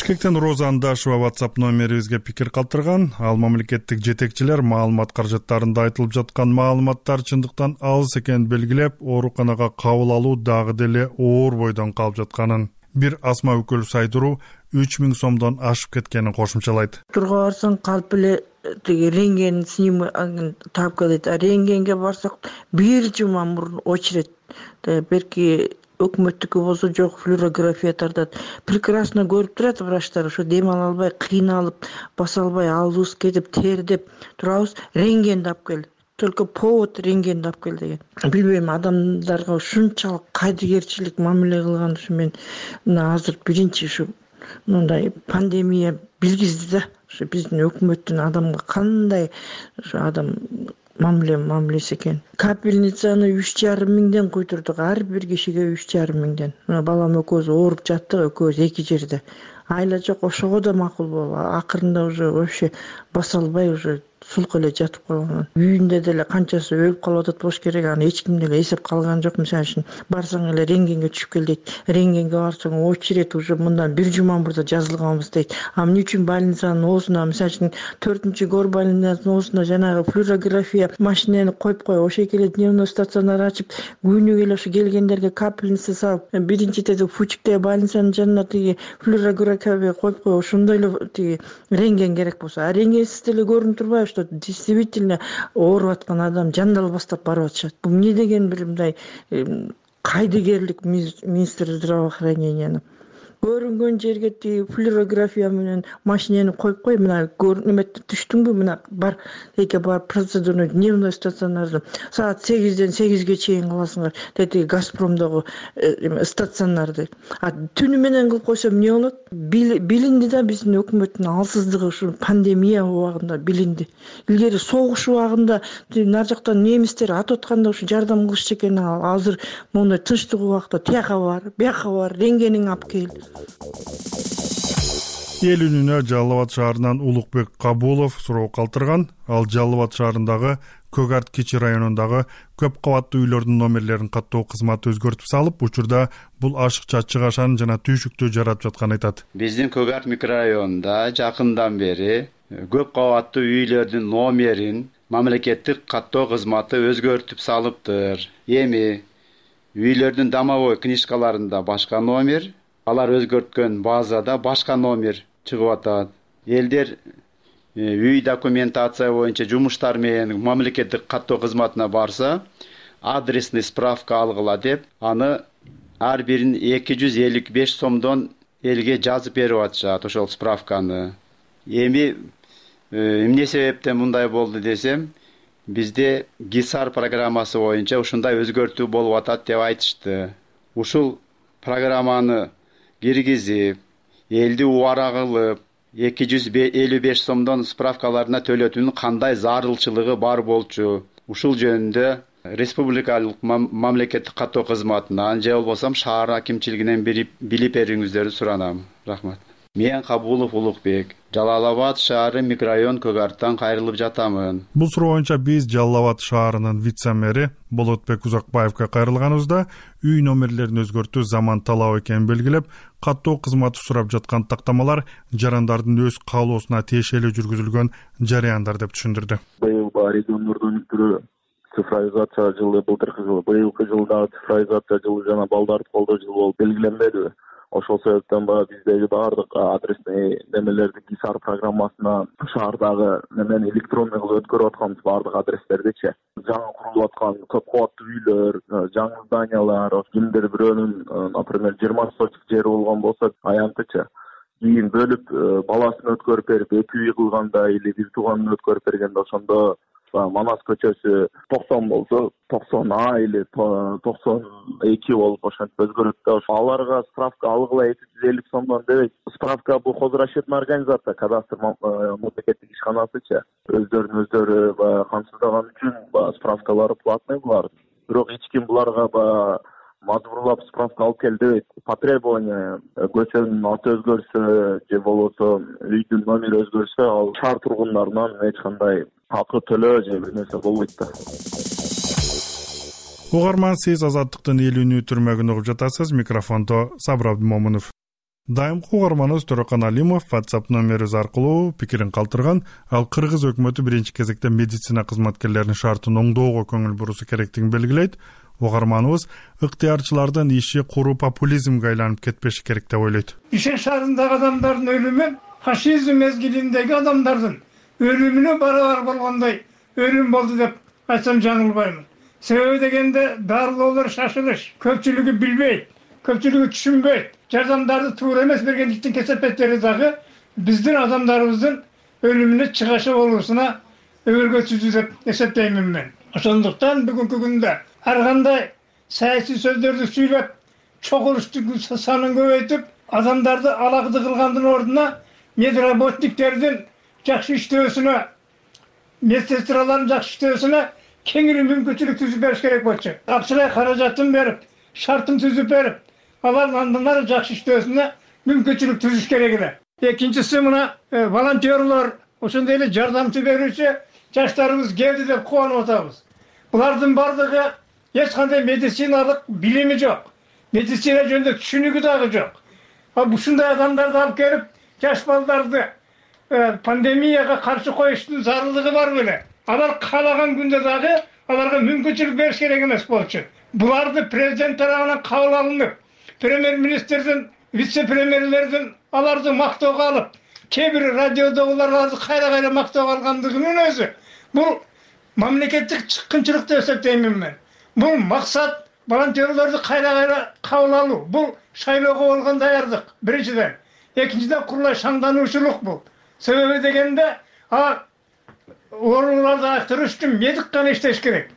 S9: Бишкектен Роза Андашева WhatsApp номерибизге пикир калтырган. Ал мамлекеттик жетекчилер маалымат каражаттарында айтылып жаткан маалыматтар чындыктан алыс экенин белгилеп, ооруканага кабыл алуу дагы деле оор бойдон калып жатканын, бир Асма Өкөлов айтыруу 3000 сомдон ашып кеткенин кошумчалайт.
S11: Турга барсаң калп эле тиги рентген таап келет. Рентгенге барсак бир жума мурун очередь. Берки өкмөттүкү болсо жок, флюорография тартат. Прекрасно көрүп турат врачтар, ошо дем ала албай, кыйналып, баса албай, алыбыз кетип, тердеп турабыз. Рентгенди алып кел. Только повод рентгенди алып кел деген. Билбейм, адамдарга ушунчалык кайдыгерчилик мамиле кылган ушу мен азыр биринчи ушу мындай пандемия билгизди да. Ушу биздин өкмөттүн адамга кандай ушу адам мамилеси экен. Капельницаны 3,5 миңден куйтурдук, ар бир кишиге 3,5 миңден. Балам экөөбүз ооруп жаттык, экөөбүз эки жерде. Айла жок, ошого да макул болуп, акырында уже вообще баса албай уже сулк эле жатып калган. Үйүндө деле канчасы өлүп калып атат болуш керек, аны эч ким деле эсеп калган жок. Мисалы үчүн барсаң эле рентгенге түшүп кел дейт. Рентгенге барсаң очередь уже мындан бир жума мурда жазылганбыз дейт. Эмне үчүн больницанын оозуна, мисалы үчүн 4-гор больницанын оозуна жанагы флюорография машинени коюп кой, ошо келе дневной стационар ачып, күнү келе ошо келгендерге капельница салып, биринчи теде Фучиктеги больницанын жанына тиги флюорография коюп кой, ошондой эле тиги рентген керек болсо. Рентгенсиз деле көрүнүп турбайбы, что действительно ооруп аткан адам жандал баштап барып атышат. Бул эмне деген бир мындай кайдыгерлик министр здравоохранениянын. Көрүнгөн жерге тиги флюорография менен машинени коюп кой, мына неметти түштүңбү, мына бар эке бар процедурный дневной стационарды саат 8-ден 8-ге чейин кыласыңар. Деди Газпромдогу стационарды. Түнү менен кылып койсо эмне болот? Билинди да биздин өкмөттүн алсыздыгы ушу пандемия убагында билинди. Илгери согуш убагында нар жактан немистер атканда ушу жардам кылышчу экен. Азыр мондай тынчтык убакта тияка бар, бияка бар, рентгениңди алып кел.
S9: Эл үнүнө Жалал Абад шаарынан Улукбек Кабулов суроо калтырган. Ал Жалал Абад шаарындагы Көк Арт Кичи районундагы көп кабаттуу үйлөрдүн номерлерин каттоо кызматы өзгөртүп салып, учурда бул ашыкча чыгашаны жана түйшүктү жаратып жатканын айтат.
S12: Биздин Көк Арт микрорайонунда жакындан бери көп кабаттуу үйлөрдүн номерин мамлекеттик каттоо кызматы өзгөртүп салыптыр. Эми үйлөрдүн домовой книжкаларында башка номер, алар өзгөрткөн базада башка номер чыгып атат. Элдер үй документация боюнча жумуштар менен мамлекеттик каттоо кызматына барса, адресный справка алгыла деп, аны ар бирин 255 сомдон элге жазып берип атышат ошол справканы. Эми эмне себептен мындай болду десем, бизде ГИСАР программасы боюнча ушундай өзгөртүү болуп атат деп айтышты. Ушул программаны киргизип, элди убара кылып, 255 сомдон справкаларына төлөтүүнүн кандай зарылчылыгы бар болчу? Ушул жөнүндө республикалык мамлекеттик каттоо кызматынан же болбосо шаар акимчилигинен билип бериңиздерди суранам. Рахмат. Мен Кабулов Улукбек, Жалал Абад шаары микрорайон Көк Арттан кайрылып жатамын.
S9: Бул суроо боюнча биз Жалал Абад шаарынын вице-мэри Болотбек Узакбаевга кайрылганыбызда үй номерлерин өзгөртүү заман талабы экенин белгилеп, каттоо кызматы сурап жаткан тактамалар жарандардын өз каалоосуна тиешелүү жүргүзүлгөн жарыяндар деп түшүндүрдү.
S23: Быйыл региондордун түрү цифровизация жылы, былтыркы жылы, быйылкы жылда цифровизация жылы жана балдарды колдоо жылы болуп белгиленбеди. Ошол себептен биздеги баардык адресный немелерди ГИСАР программасына шаардагы немен электронный кылып өткөрүп атканбыз баардык адрестердичи. Жаңы курулуп аткан көп кабаттуу үйлөр, жаңы зданиялар, кимдир бирөөнүн, например, 20 сотик жери болгон болсо, аянтычы. Кийин бөлүп баласын өткөрүп берип, 2 үй кылганда или бир тууганын өткөрүп бергенде ошондо Манас көчөсү 90 болсо 90А или 92 болуп ошентип өзгөрөт да. Аларга справка алгыла 250 сомдон дебейт. Справка бул хозрасчетный организация, кадастр мамлекеттик ишканасычы. Өздөрүн камсыздаган үчүн справкалары платный булар. Бирок эч ким буларга мажбурлап справка алып кел дебейт. Потребование көчөнүн аты өзгөрсө же болбосо үйдүн номери өзгөрсө, ал шаар тургундарынан эч кандай акы төлөө же бир нерсе болбойт да.
S9: Угарман, сиз Азаттыктын эл үнү түрмөгүн угуп жатасыз. Микрофондо Сабыр Абдымомунов. Дайымкы угарманыбыз Төрөкан Алимов WhatsApp номерибиз аркылуу пикирин калтырган. Ал Кыргыз өкмөтү биринчи кезекте медицина кызматкерлеринин шартын оңдоого көңүл буруу керектигин белгилейт. Угарманыбыз ыктыярчылардын иши куру популизмге айланып кетпеши керек деп ойлойт.
S2: Бишкек шаарындагы адамдардын өлүмү фашизм мезгилиндеги адамдардын өлүмүнө барабар болгондой өлүм болду деп айтсам жаңылбаймын. Себеби дегенде дарылоолор шашылыш, көпчүлүгү билбейт, көпчүлүгү түшүнбөйт. Жардамдарды туура эмес бергендиктен кесепеттери дагы биздин адамдарыбыздын өлүмүнө чыгашы болуусуна өбөлгөсүздү деп эсептеймин мен. Ошондуктан бүгүнкү күндө ар кандай саясий сөздөрдү сүйлөп, чогулуштун санын көбөйтүп, адамдарды алакты кылгандын ордуна медработниктердин жакшы иштөөсүнө, медсестралардын жакшы иштөөсүнө кеңири мүмкүнчүлүк түзүп бериш керек болчу. Акчалай каражатын берип, шартын түзүп берип, алардын андан ары жакшы иштөөсүнө мүмкүнчүлүк түзүш керек эле. Экинчиси мына волонтерлор, ошондой эле жардамчы берүүчү жаштарыбыз келди деп кубанып атабыз. Булардын бардыгы эч кандай медициналык билими жок. Медицина жөнүндө түшүнүгү дагы жок. Ушундай адамдарды алып келип, жаш балдарды пандемияга каршы коюштун зарылдыгы бар беле. Алар каалаган күндө дагы аларга мүмкүнчүлүк бериш керек эмес болчу. Буларды президент тарабынан кабыл алынып, премьер-министрдин, вице-премьерлердин аларды мактоого алып, кээ бир радиодогуларды кайра мактоого алгандыгынын өзү бул мамлекеттик чыккынчылык деп эсептеймин мен. Бул максат волонтерлорду кайра кабыл алуу. Бул шайлоого болгон даярдык биринчиден. Экинчиден курулай шаңдануучулук бул. Себеби дегенде ооруларды айыктырыш үчүн медик гана иштеш керек.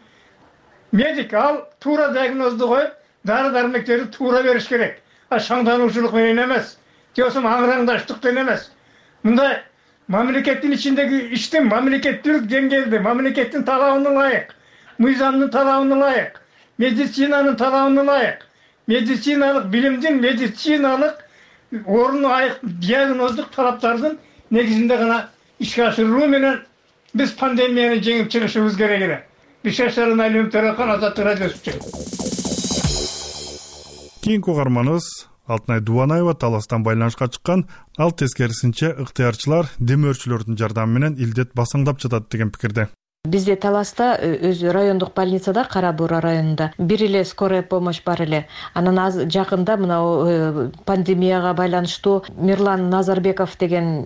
S2: Медик ал туура диагнозду коюп, дары-дармектерди туура бериш керек. Шаңдануучулук менен эмес, десем аңыраңдаштыктан эмес. Мындай мамлекеттин ичиндеги иштин мамлекеттик деңгээлде, мамлекеттин талабына ылайык, мыйзамдын талабына ылайык, медицинанын талабына ылайык, медициналык билимдин, медициналык ордуна айык диагноздук талаптардын негизинде гана ишке ашырылуу менен биз пандемияны жеңип чыгышыбыз керек эле. Бишкек шаарынын Алимов Төрөкан, Азаттык радиосу үчүн.
S9: Кийинки угарманыбыз Алтынай Дубанаева Таластан байланышка чыккан. Ал тескерисинче ыктыярчылар демөөрчүлөрдүн жардамы менен илдет басаңдап жатат деген пикирде.
S13: Бизде Таласта өзү райондук больницада, Кара Буура районунда бир эле скорая помощь бар эле. Анан жакында мына пандемияга байланыштуу Мирлан Назарбеков деген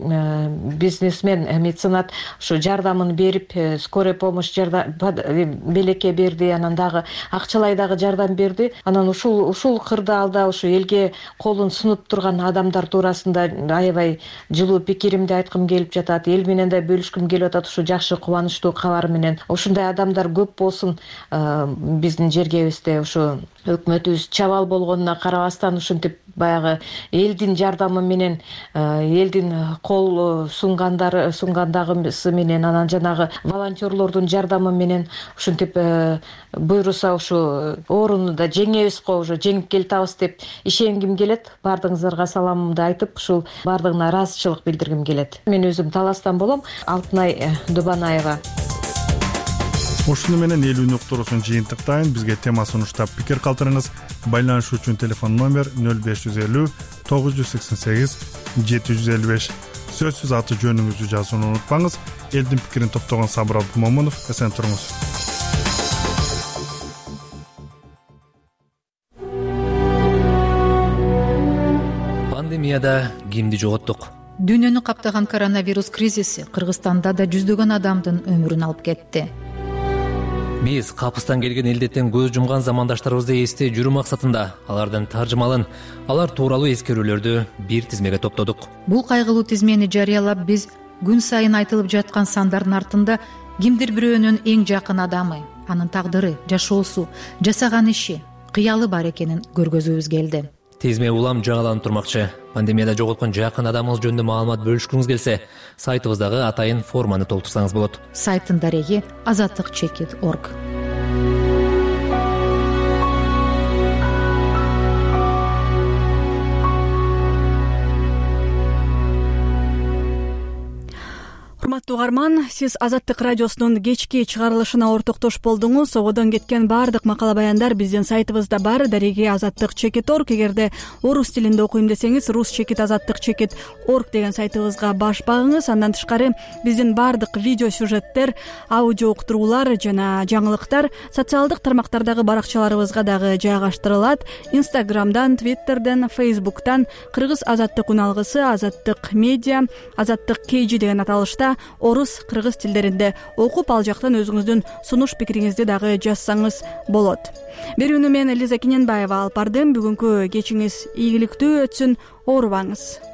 S13: бизнесмен, меценат ушу жардамын берип, скорая помощь белекке берди, анан дагы акчалай дагы жардам берди. Анан ушул кырдаалда ушу элге колун сунуп турган адамдар туурасында аябай жылуу пикиримди айткым келип жатат. Эл менен да бөлүшкүм келип атат ушу жакшы кубанычтуу кабар менен. Ушундай адамдар көп болсун биздин жергебизде. Ушу өкмөтүбүз чабал болгонуна карабастан ушинтип баягы элдин жардамы менен, элдин кол сунгандагысы менен, анан жанагы волонтерлордун жардамы менен ушинтип буйруса ушу ооруну да жеңебиз го, уже жеңип келатабыз деп ишенгим келет. Бардыгыңыздарга саламымды айтып, ушул бардыгына ыраазычылык билдиргим келет. Мен өзүм Таластан болом, Алтынай Дубанаева.
S9: Ушуну менен эл үнү уктуруусун жыйынтыктайын. Бизге тема сунуштап пикир калтырыңыз. Байланышуу үчүн телефон номер 0550 988 755. Сөзсүз аты жөнүңүздү жазууну унутпаңыз. Элдин пикирин топтогон Сабыр Абдумомунов, эсен туруңуз.
S14: Пандемияда кимди жоготтук?
S15: Дүйнөнү каптаган коронавирус кризиси Кыргызстанда да жүздөгөн адамдын өмүрүн алып кетти.
S14: Биз капыстан келген илдеттен көз жумган замандаштарыбызды эстей жүрүү максатында алардын таржымалын, алар тууралуу эскерүүлөрдү бир тизмеге топтодук.
S15: Бул кайгылуу тизмени жарыялап, биз күн сайын айтылып жаткан сандардын артында кимдир бирөөнүн эң жакын адамы, анын тагдыры, жашоосу, жасаган иши, кыялы бар экенин көргөзүүбүз келди.
S14: Тизме улам жаңыланып турмакчы. Пандемияда жоготкон жакын адамыңыз жөнүндө маалымат бөлүшкүңүз келсе, сайтыбыздагы атайын форманы толтурсаңыз болот.
S15: Сайттын дареги azatlyk.org.
S1: урматтуу угарман, сиз Азаттык радиосунун кечки чыгарылышына ортоктош болдуңуз. Ободон кеткен баардык макала баяндар биздин сайтыбызда бар. Дареги azattik.org. Эгерде орус тилинде окуйм десеңиз, rus-azattik.org деген сайтыбызга баш багыңыз. Андан тышкары биздин баардык видео сюжеттер, аудио уктуруулар жана жаңылыктар социалдык тармактардагы баракчаларыбызга дагы жайгаштырылат. Инстаграмдан, Твиттерден, Фейсбуктан кыргыз азаттык уналгысы, азаттык медиа, азаттык KG деген аталышта орус, кыргыз тилдеринде окуп, ал жактан өзүңүздүн сунуш пикириңизди дагы жазсаңыз болот. Берүүнү мен Элиза Кененбаева алып бардым. Бүгүнкү кечиңиз ийгиликтүү өтсүн, оорубаңыз.